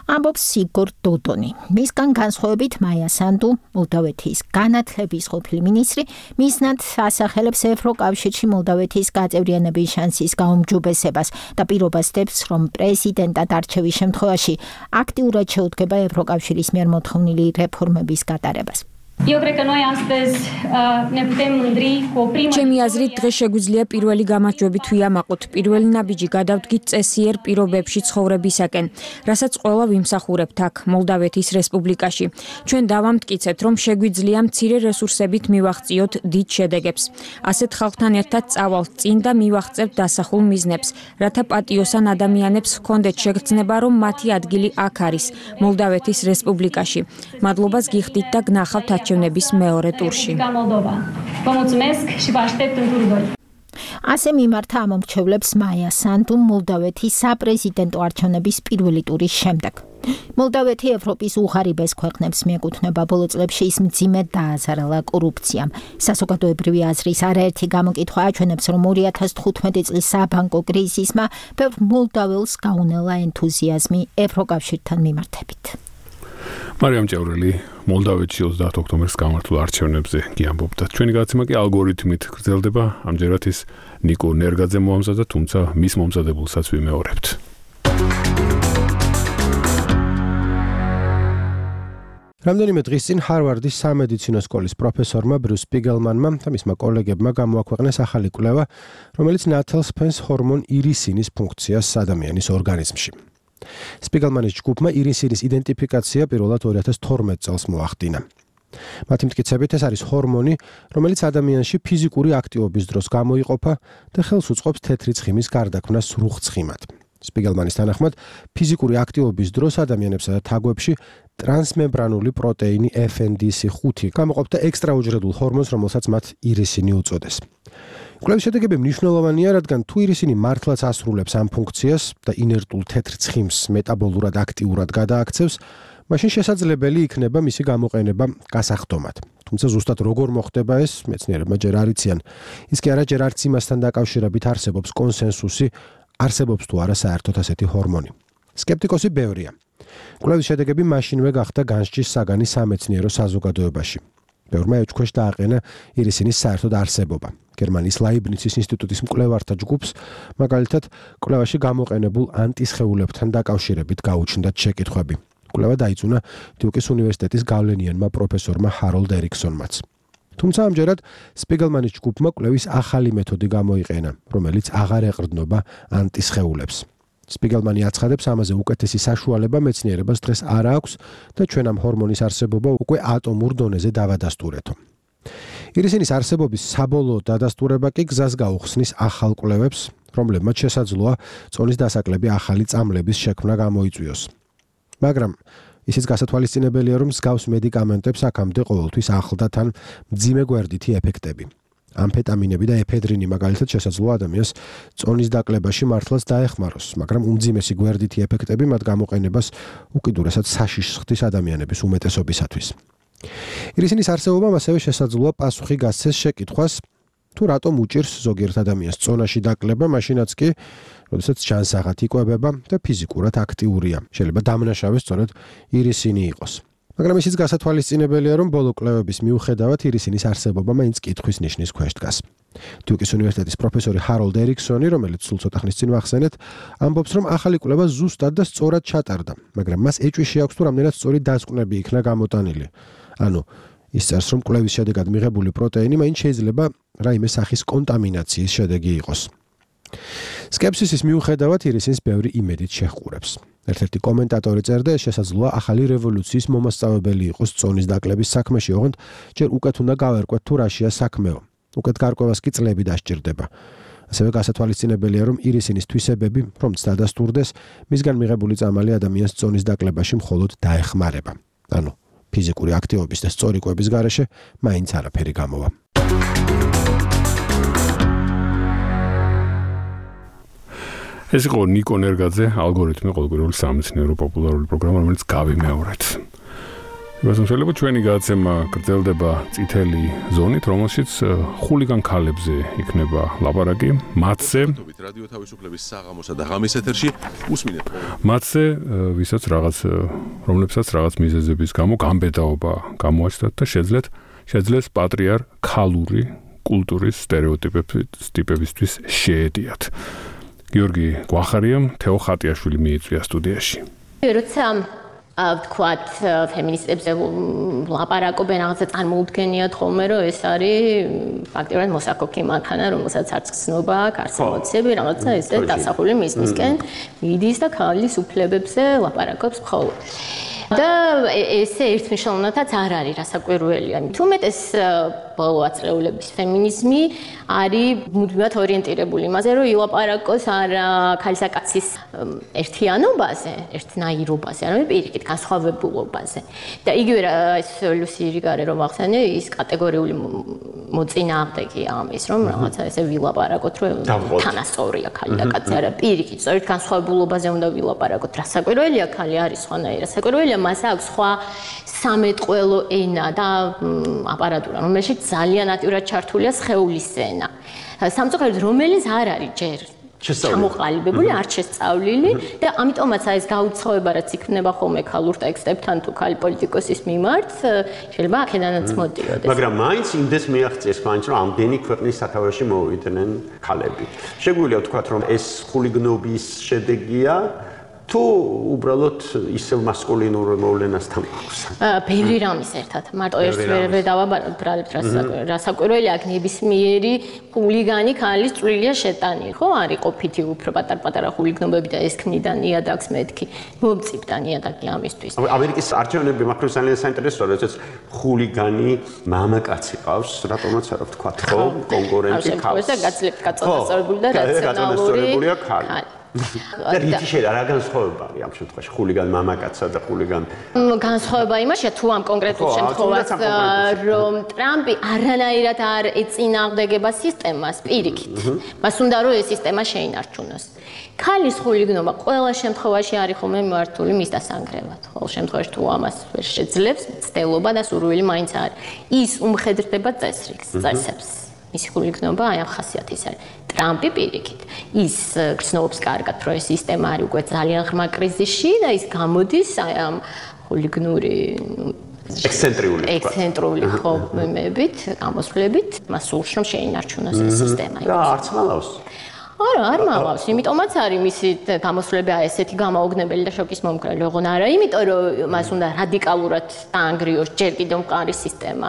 ამბობს იგორ დოდონი. მისგან განსხვავებით მაია სანდუ, მოლდოვეთის განათლების ყოფილი მინისტრი, მიზნად ასახელებს ევროკავშირში მოლდოვეთის გაწევრიანების შანსის გაუმჯობესებას და პირობას დებს, რომ პრეზიდენტად არჩევის შემთხვევაში აქტიურად შეუდგება ევროკავშირის მიერ მოთხოვნილი რეფორმების გატარებას. ჩემი აზრით დღეს შეგვიძლია პირველი გამარჯვებით ვიამაყოთ. პირველი ნაბიჯი გადავდგით წესიერ პირობებში ცხოვრებისაკენ, რასაც ყველა ვიმსახურებთ აქ მოლდავეთის რესპუბლიკაში. ჩვენ დავამტკიცეთ, რომ შეგვიძლია მცირე რესურსებით მივაღწიოთ დიდ შედეგებს. ასეთ ხალხთან ერთად წავალთ წინ და მივაღწევთ დასახულ მიზნებს, რათა პატიოსან ადამიანებს ჰქონდეთ შეგრძნება, რომ მათი ადგილი აქ არის, მოლდავეთის რესპუბლიკაში. მადლობას გიხდით და გნახავთ არჩევნების მეორე ტურში. ასე მიმართა ამომრჩევლებს მაია სანდუ მოლდოვეთის საპრეზიდენტო არჩევნების პირველი ტურის შემდეგ. მოლდოვეთი ევროპის უღარიბეს ქვეყნებს მიეკუთვნება. ბოლო წლებში ის მძიმედ დააზარალა კორუფციამ. საზოგადოებრივი აზრის არაერთი გამოკითხვა აჩვენებს, რომ 2015 წლის საბანკო კრიზისმა ბევრ მოლდოველს გაუნელა ენთუზიაზმი ევროკავშირთან მიმართებით. მარიამ ჭაურელი მოლდავეთში 30 ოქტომბერს გამართულ არჩევნებზე კი ამბობდა. ჩვენი გადაცემა კი ალგორითმით გრძელდება. ამჯერად ის ნიკო ნერგაძე მოამზადა, თუმცა მის მომზადებულსაც ვიმეორებთ. რამდენიმე დღის წინ ჰარვარდის სამედიცინო სკოლის პროფესორმა ბრიუს სპიგელმანმა და მისმა კოლეგებმა გამოაქვეყნეს ახალი კვლევა, რომელიც ნათელს ფენს ჰორმონ ირისინის ფუნქციას ადამიანის ორგანიზმში. სპიგელმანის ჯგუფმა ირისინის იდენტიფიკაცია პირველად 2012 წელს მოახდინა. მათი მტკიცებით ეს არის ჰორმონი, რომელიც ადამიანში ფიზიკური აქტივობის დროს გამოიყოფა და ხელს უწყობს თეთრი ცხიმის გარდაქმნას სრუხცხიმად. სპიგელმანის თანახმად, ფიზიკური აქტივობის დროს ადამიანებსა და თაგვებში ტრანსმემბრანული პროტეინი FNDC5 გამოყოფდა ექსტრაუჯრედულ ჰორმონს, რომელსაც მათ ირისინი უწოდეს. კვლევის შედეგები მნიშვნელოვანია, რადგან თუ ირისინი მართლაც ასრულებს ამ ფუნქციას და ინერტულ თეთრ ცხიმს მეტაბოლურად აქტიურად გადააქცევს, მაშინ შესაძლებელი იქნება მისი გამოყენება გასახდომად. თუმცა ზუსტად როგორ მოხდება ეს, მეცნიერებმა ჯერ არ იციან. ის კი არა ჯერ არც იმასთან დაკავშირებით არსებობს კონსენსუსი, არსებობს თუ არა საერთოდ ასეთი ჰორმონი. სკეპტიკოსი ბევრია. კვლევის შედეგები მაშინვე გახდა განსჯის საგანი სამეცნიერო საზოგადოებაში. ბევრმა ეჭქვეშ დააყენა ირისინის საერთოდ არსებობა. გერმანიის ლაიბნიცის ინსტიტუტის მკვლევართა ჯგუფს მაგალითად კვლევაში გამოყენებულ ანტისხეულებთან დაკავშირებით გაუჩნდათ შეკითხვები. კვლევა დაიწუნა დიუკის უნივერსიტეტის გავლენიანმა პროფესორმა ჰაროლდ ერიქსონმაც. თუმცა ამჯერად სპიგელმანის ჯგუფმა კვლევის ახალი მეთოდი გამოიყენა, რომელიც აღარ ეყრდნობა ანტისხეულებს. სპიგელმანი აცხადებს, ამაზე უკეთესი საშუალება მეცნიერებას დღეს არ აქვს და ჩვენ ამ ჰორმონის არსებობა უკვე ატომურ დონეზე დავადასტურეთო. ირისინის არსებობის საბოლოო დადასტურება კი გზას გაუხსნის ახალ კვლევებს, რომლებმაც შესაძლოა წონის დასაკლები ახალი წამლების შექმნა გამოიწვიოს. მაგრამ ისიც გასათვალისწინებელია, რომ მსგავს მედიკამენტებს აქამდე ყოველთვის ახლდა თან მძიმე გვერდითი ეფექტები. ამფეტამინები და ეფედრინი მაგალითად შესაძლოა ადამიანს წონის დაკლებაში მართლაც დაეხმაროს, მაგრამ უმძიმესი გვერდითი ეფექტები მათ გამოყენებას უკიდურესად საშიშს ხდის ადამიანების უმეტესობისათვის. ირისინის არსებობამ ასევე შესაძლოა პასუხი გასცეს შეკითხვას, თუ რატომ უჭირს ზოგიერთ ადამიანს წონაში დაკლება, მაშინაც კი, როდესაც ჯანსაღად იკვებება და ფიზიკურად აქტიურია. შეიძლება დამნაშავე სწორედ ირისინი იყოს. მაგრამ ისიც გასათვალისწინებელია, რომ ბოლო კვლევების მიუხედავად ირისინის არსებობა მაინც კითხვის ნიშნის ქვეშ დგას. დიუკის უნივერსიტეტის პროფესორი ჰაროლდერიქსონი, რომელიც სულ ცოტა ხნის წინ ვახსენეთ, ამბობს, რომ ახალი კვლევა ზუსტად და სწორად ჩატარდა, მაგრამ მას ეჭვი აქვს, თუ რამდენად სწორი დასკვნები იქნა გამოტანილი. ანუ ის წერს, რომ კვლევის შედეგად მიღებული პროტეინი მაინც შეიძლება რაიმე სახის კონტამინაციის შედეგი იყოს. სკეპსისის მიუხედავად ირისინს ბევრი იმედით შეჰყურებს. ერთ-ერთი კომენტატორი წერდა, ეს შესაძლოა ახალი რევოლუციის მომასწავებელი იყოს წონის დაკლების საქმეში, ოღონდ ჯერ უკეთ უნდა გავერკვეთ, თუ რაშია საქმეო. უკეთ გარკვევას კი წლები დასჭირდება. ასევე გასათვალისწინებელია, რომ ირისინის თვისებები, რომც დადასტურდეს, მისგან მიღებული წამალი ადამიანს წონის დაკლებაში მხოლოდ დაეხმარება. ანუ ფიზიკური აქტივობის და სწორი კვების გარეშე მაინც არაფერი გამოვა. ეს იყო ნიკო ნერგაძე, ალგორითმი, ყოველკვირეული სამეცნიერო პოპულარული პროგრამა, რომელიც გავიმეორეთ. იმასთან შეიძლება ჩვენი გადაცემა გრძელდება წითელი ზონით, რომელშიც ხულიგან ქალებზე იქნება ლაპარაკი, მათზე რადიო თავისუფლების საღამოსა და ღამის ეთერში უსმინეთ. მათზე რომლებსაც რაღაც მიზეზების გამო გამბედაობა გამოაჩნდათ და შეძლეს პატრიარქალური კულტურის სტერეოტიპებისთვის შეედიათ. გიორგი გვახარიამ, თეო ხატიაშვილი მიიწვია სტუდიაში. როცა ვთქვათ, ფემინისტებზე ლაპარაკობენ, რაღაცა წარმოუდგენიათ ხოლმე, რომ ეს არის ფაქტობრივად მოსაკოქი მანქანა, რომელსაც არც გრძნობა აქვს, არც ემოციები, რაღაცა ესე დასახული მისკენ მიდის და ქალის უფლებებზე ლაპარაკობს მხოლოდ. და ესე ერთმნიშვნელოვნადაც არ არის რასაკვირველია. თუმეტეს ბოლო აწლეულების ფემინიზმი არის მუდმივად ორიენტირებული იმაზე, რომ ილაპარაკოს არა ქალისა კაცის ერთიანობაზე, ერთნაირობაზე, არამედ პირიქით განსხვავებულობაზე. და იგივე ეს ლუსი რიგარე რომ ახსენე, ის კატეგორიული მოწინააღმდეგეა ამის, რომ რაღაცა ესე ვილაპარაკოთ, რომ თანასწორია ქალი და კაცი, არა პირიქით, სწორედ განსხვავებულობაზე უნდა ვილაპარაკოთ. რასაკვირველია, ქალი არის სხვანაირი, რასაკვირველია, მას აქვს სხვა სამეთყველო ენა და აპარატურა, რომელშიც ძალიან აქტიურად ჩართულია სხეულის ენა. სამწუხაროდ, რომელიც არ არის ჯერ ჩამოყალიბებული, არ შესწავლილი და ამიტომაც ეს გაუცხოება, რაც იქნება ხოლმე ქალურ ტექსტებთან თუ ქალი პოლიტიკოსის მიმართ, შეიძლება აქედანაც მოდიოდეს. მაგრამ მაინც იმდეს მიაღწიეს მაინც, რომ ამდენი ქვეყნის სათავეში მოვიდნენ ქალები. შეგვიძლია ვთქვათ, რომ ეს ხულიგნობის შედეგია თუ უბრალოდ ისევ მასკულინურ მოვლენასთან აქვს. ბევრი რამის ერთად. მარტო ერთ ვერ დავაბრალებ რასაკვირველი აქ ნებისმიერი ხულიგანი ქალის წვლილია შეტანილი, ხო? არის ყოფითი უფრო პატარ-პატარა ხულიგნობები და ეს ქმნიდა ნიადაგს მეთქი. მომწიფდა ნიადაგი ამისთვის. ამერიკის არჩევნები მაგრამ ძალიან საინტერესოა, როდესაც ხულიგანი მამაკაცი ყავს, რატომაც არა ვთქვა, ხო? კონკურენტი ქალს. და გაცლებთ გაწონასწორებული და რაციონალური ქალი. და რითი შეიძლება რა განსხვავება არის ამ შემთხვევაში ხულიგან მამაკაცსა და ხულიგან განსხვავება იმაშია თუ ამ კონკრეტულ შემთხვევას რომ ტრამპი არანაირად არ ეწინააღმდეგება სისტემას პირიქით მას უნდა რომ ეს სისტემა შეინარჩუნოს ქალის ხულიგნობა ყველა შემთხვევაში არის ხოლმე მართული მის დასანგრევად ყოველ შემთხვევაში თუ ამას ვერ შეძლებს ცდელობა და სურვილი მაინც არის ის უმხედრდება წესრიგს მისი ხულიგნობა აი ამ ხასიათის არის ტრამპი პირიქით ის გრძნობს კარგად რომ ეს სისტემა არის უკვე ძალიან ღრმა კრიზისში და ის გამოდის აი ამ ხულიგნური ექსცენტრული ხომებით გამოსვლებით მას სურს რომ შეინარჩუნოს ეს სისტემა და არც მალავს არ მალავს, იმიტომაც არის მისი გამოსვლები ესეთი გამაოგნებელი და შოკის მომკრალი, ოღონ არა, იმიტომ რომ მას უნდა რადიკალურად დაანგრიოს ჯერ კიდევ მყარი სისტემა.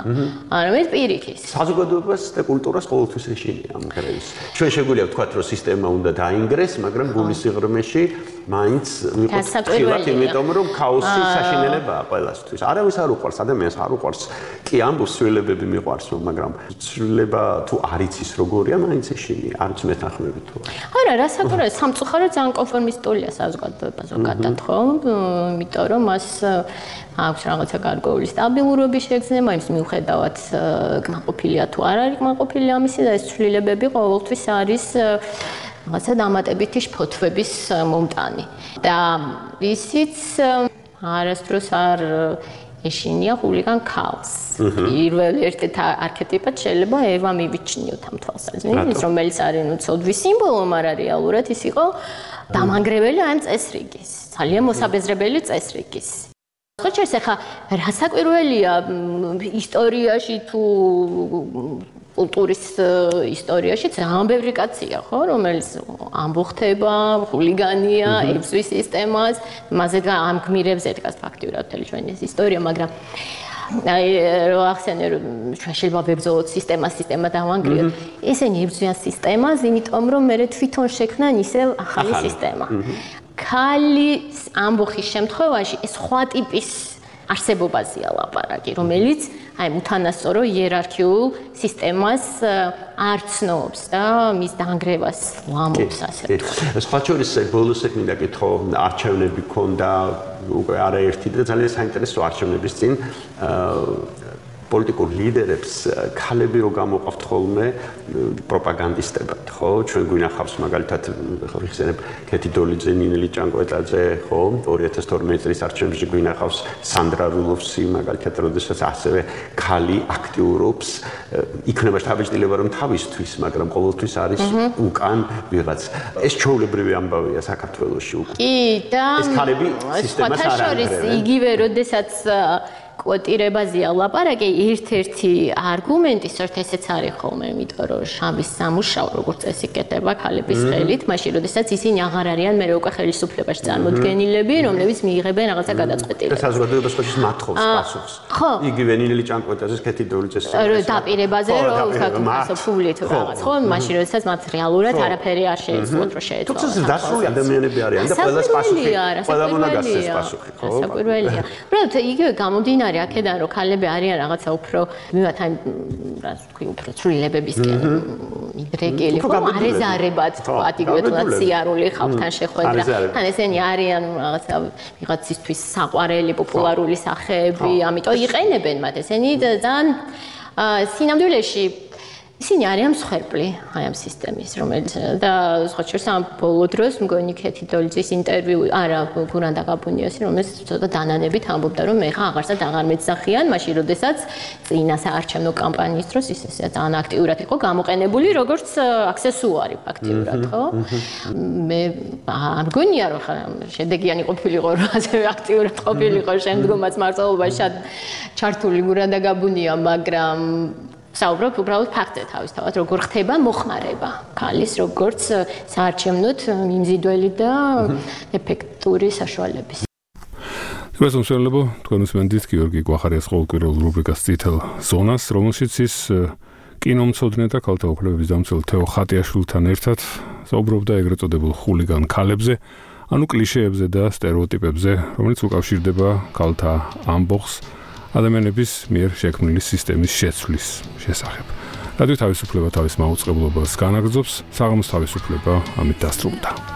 არამედ პირიქით. საზოგადოებას და კულტურას ყოველთვის ეშინია ამ კრიზისს. ჩვენ შეგვიძლია ვთქვათ, რომ სისტემა უნდა დაინგრეს, მაგრამ გულის სიღრმეში მაინც ვიყოთ ხილად, იმიტომ რომ ქაოსი საშინელებაა ყველასთვის. არავის არ უყვარს, ადამიანს არ უყვარს. კი ამბობს ცვლილებები მიყვარს, მაგრამ ცვლილება თუ არ იცის როგორია, მაინც ეშინია, არც მეთანხმებით. არა, რასაკვირველია, სამწუხაროდ ძალიან კონფორმისტულია საზოგადოება ზოგადად, ხო? იმიტომ რომ მას აქვს რაღაცა გარკვეული სტაბილურობის შეგრძნება, იმის მიუხედავად კმაყოფილია თუ არ არის კმაყოფილი ამისი და ეს ცვლილებები ყოველთვის არის რაღაცა დამატებითი შფოთვების მომტანი. და ისიც არასდროს არ ეშინია ხულიგან ქალს. პირველ ერთ არქეტიპად შეიძლება ევა მივიჩნიოთ ამ თვალსაზრისით, რომელიც არის ნუ ცოდვის სიმბოლო, მაგრამ რეალურად ის იყო დამანგრეველი ამ წესრიგის, ძალიან მოსაბეზრებელი წესრიგის. ხო შეიძლება ხა რასაკვირველია ისტორიაში თუ კულტურის ისტორიაში ძალიან ბევრი კაცია, ხო, რომელიც ამბოხდება, ხულიგანია, ებზვის სისტემას, მასზე ამ გმირებს ედგას ფაქტიურად მთელი ჩვენი ეს ისტორია, მაგრამ აი რო ახსენე რომ ჩვენ შეიძლება ვებრძოლოთ სისტემა დავანგრიოთ. ესენი ებრძვიან სისტემას, იმიტომ რომ მე თვითონ შექმნან ისევ ახალი სისტემა. ქალის ამბოხის შემთხვევაში ეს სხვა ტიპის არსებობაზეა ლაპარაკი, რომელიც აი უთანასწორო იერარქიულ სისტემას არ ცნობს და მის დაანგრევას ვამბობს ასე. სხვა შორის ბოლოს მინდა კითხო, არჩევნები ქონდა უკვე არაერთი და ძალიან საინტერესო არჩევნების წინ პოლიტიკურ ლიდერებს ქალები რო გამოყავთ ხოლმე პროპაგანდისტებად, ხო? ჩვენ გვინახავს მაგალითად ხიხსენებ კეთი დოლიძე, ნინელი ჭანკვეტაძე, ხო? 2012 წლის არჩევნებში გვინახავს სანდრა რულოვსი, მაგალითად, როდესაც ასევე ქალი აქტიურობს, იქნება შთაბეჭდილება რომ თავისთვის, მაგრამ ყოველთვის არის უკან ვიღაც. ეს ჩვეულებრივი ამბავია საქართველოში უკვე. კი, და ეს ქალები სისტემას არ ანგრევენ. იგივე როდესაც კვოტირებაზეა ლაპარაკი, ერთ-ერთი არგუმენტი სწორედ ესეც არის ხოლმე, იმიტომ რომ შამის სამუშაო როგორც წესი კეთება ქალების ხელით, მაშინ როდესაც ისინი აღარ არიან მე უკვე ხელისუფლებაში წარმოდგენილები, რომლებიც მიიღებენ რაღაცა გადაწყვეტილებას. და საზოგადოებას ხოჭის მათხოვს პასუხს. იგივე ნინელი ჭანკვეტაძეს კეთი დოლიძეს დაპირებაზე რომ ვთქვათ ფულით რაღაც, ხო? მაშინ როდესაც მათ რეალურად არაფერი არ შეეძლოთ რომ შეეცვალოს. თუმცა დასრული ადამიანები არიან და ყველას პასუხი, ყველა უნდა გასცეს პასუხი, ხო? საკვირველია. უბრალოდ იგივე გამომდინარე აქედან რომ ქალები არიან რაღაცა უფრო მივათ აი რას ვთქვი უფრო ცვლილებებისკენ მიდრეკილი ხო არეზარებად თქვათ იგივე თუნდაც სიარული ხალხთან შეხვედრა თან ესენი არიან რაღაცა ვიღაცისთვის საყვარელი პოპულარული სახეები ამიტომ იყენებენ მათ ესენი ძალიან სინამდვილეში ისინი არიან მსხვერპლი აი ამ სისტემის რომელიც და სხვა შორის ამ ბოლო დროს მგონი კეთი დოლიძის ინტერვიუ არა გურანდა გაბუნიოსი რომელიც ცოტა დანანებით ამბობდა რომ მე ხა აღარსად აღარ მეძახიან მაშინ როდესაც წინა საარჩევნო კამპანიის დროს ის ესე ძალიან აქტიურად იყო გამოყენებული როგორც აქსესუარი ფაქტიურად ხო მე არ მგონია რომ ხა შედეგიანი ყოფილიყო რომ ასევე აქტიურად ყოფილიყო შემდგომაც მართლობაში ჩართული გურანდა გაბუნია მაგრამ საუბრობ უბრალოდ ფაქტზე თავისთავად, როგორ ხდება მოხმარება ქალის, როგორც საარჩევნოდ მიმზიდველი და ეფექტური საშუალების. დღეს უმსხვილებო თქვენ უსმენთ გიორგი კვახარიას ყოველკვირეულ რუბრიკას წითელ ზონას, რომელშიც ის კინომცოდნე და ქალთა უფლებების დამცველ თეო ხატიაშვილთან ერთად საუბრობდა ეგრეთ წოდებულ ხულიგან ქალებზე, ანუ კლიშეებზე და სტერეოტიპებზე, რომელიც უკავშირდება ქალთა ამბოხს ადამიანების მიერ შექმნილი სისტემის შეცვლის შესახებ. რადიო თავისუფლება თავის მაუწყებლობას განაგრძობს, საღამოს თავისუფლება ამით დასრულდა.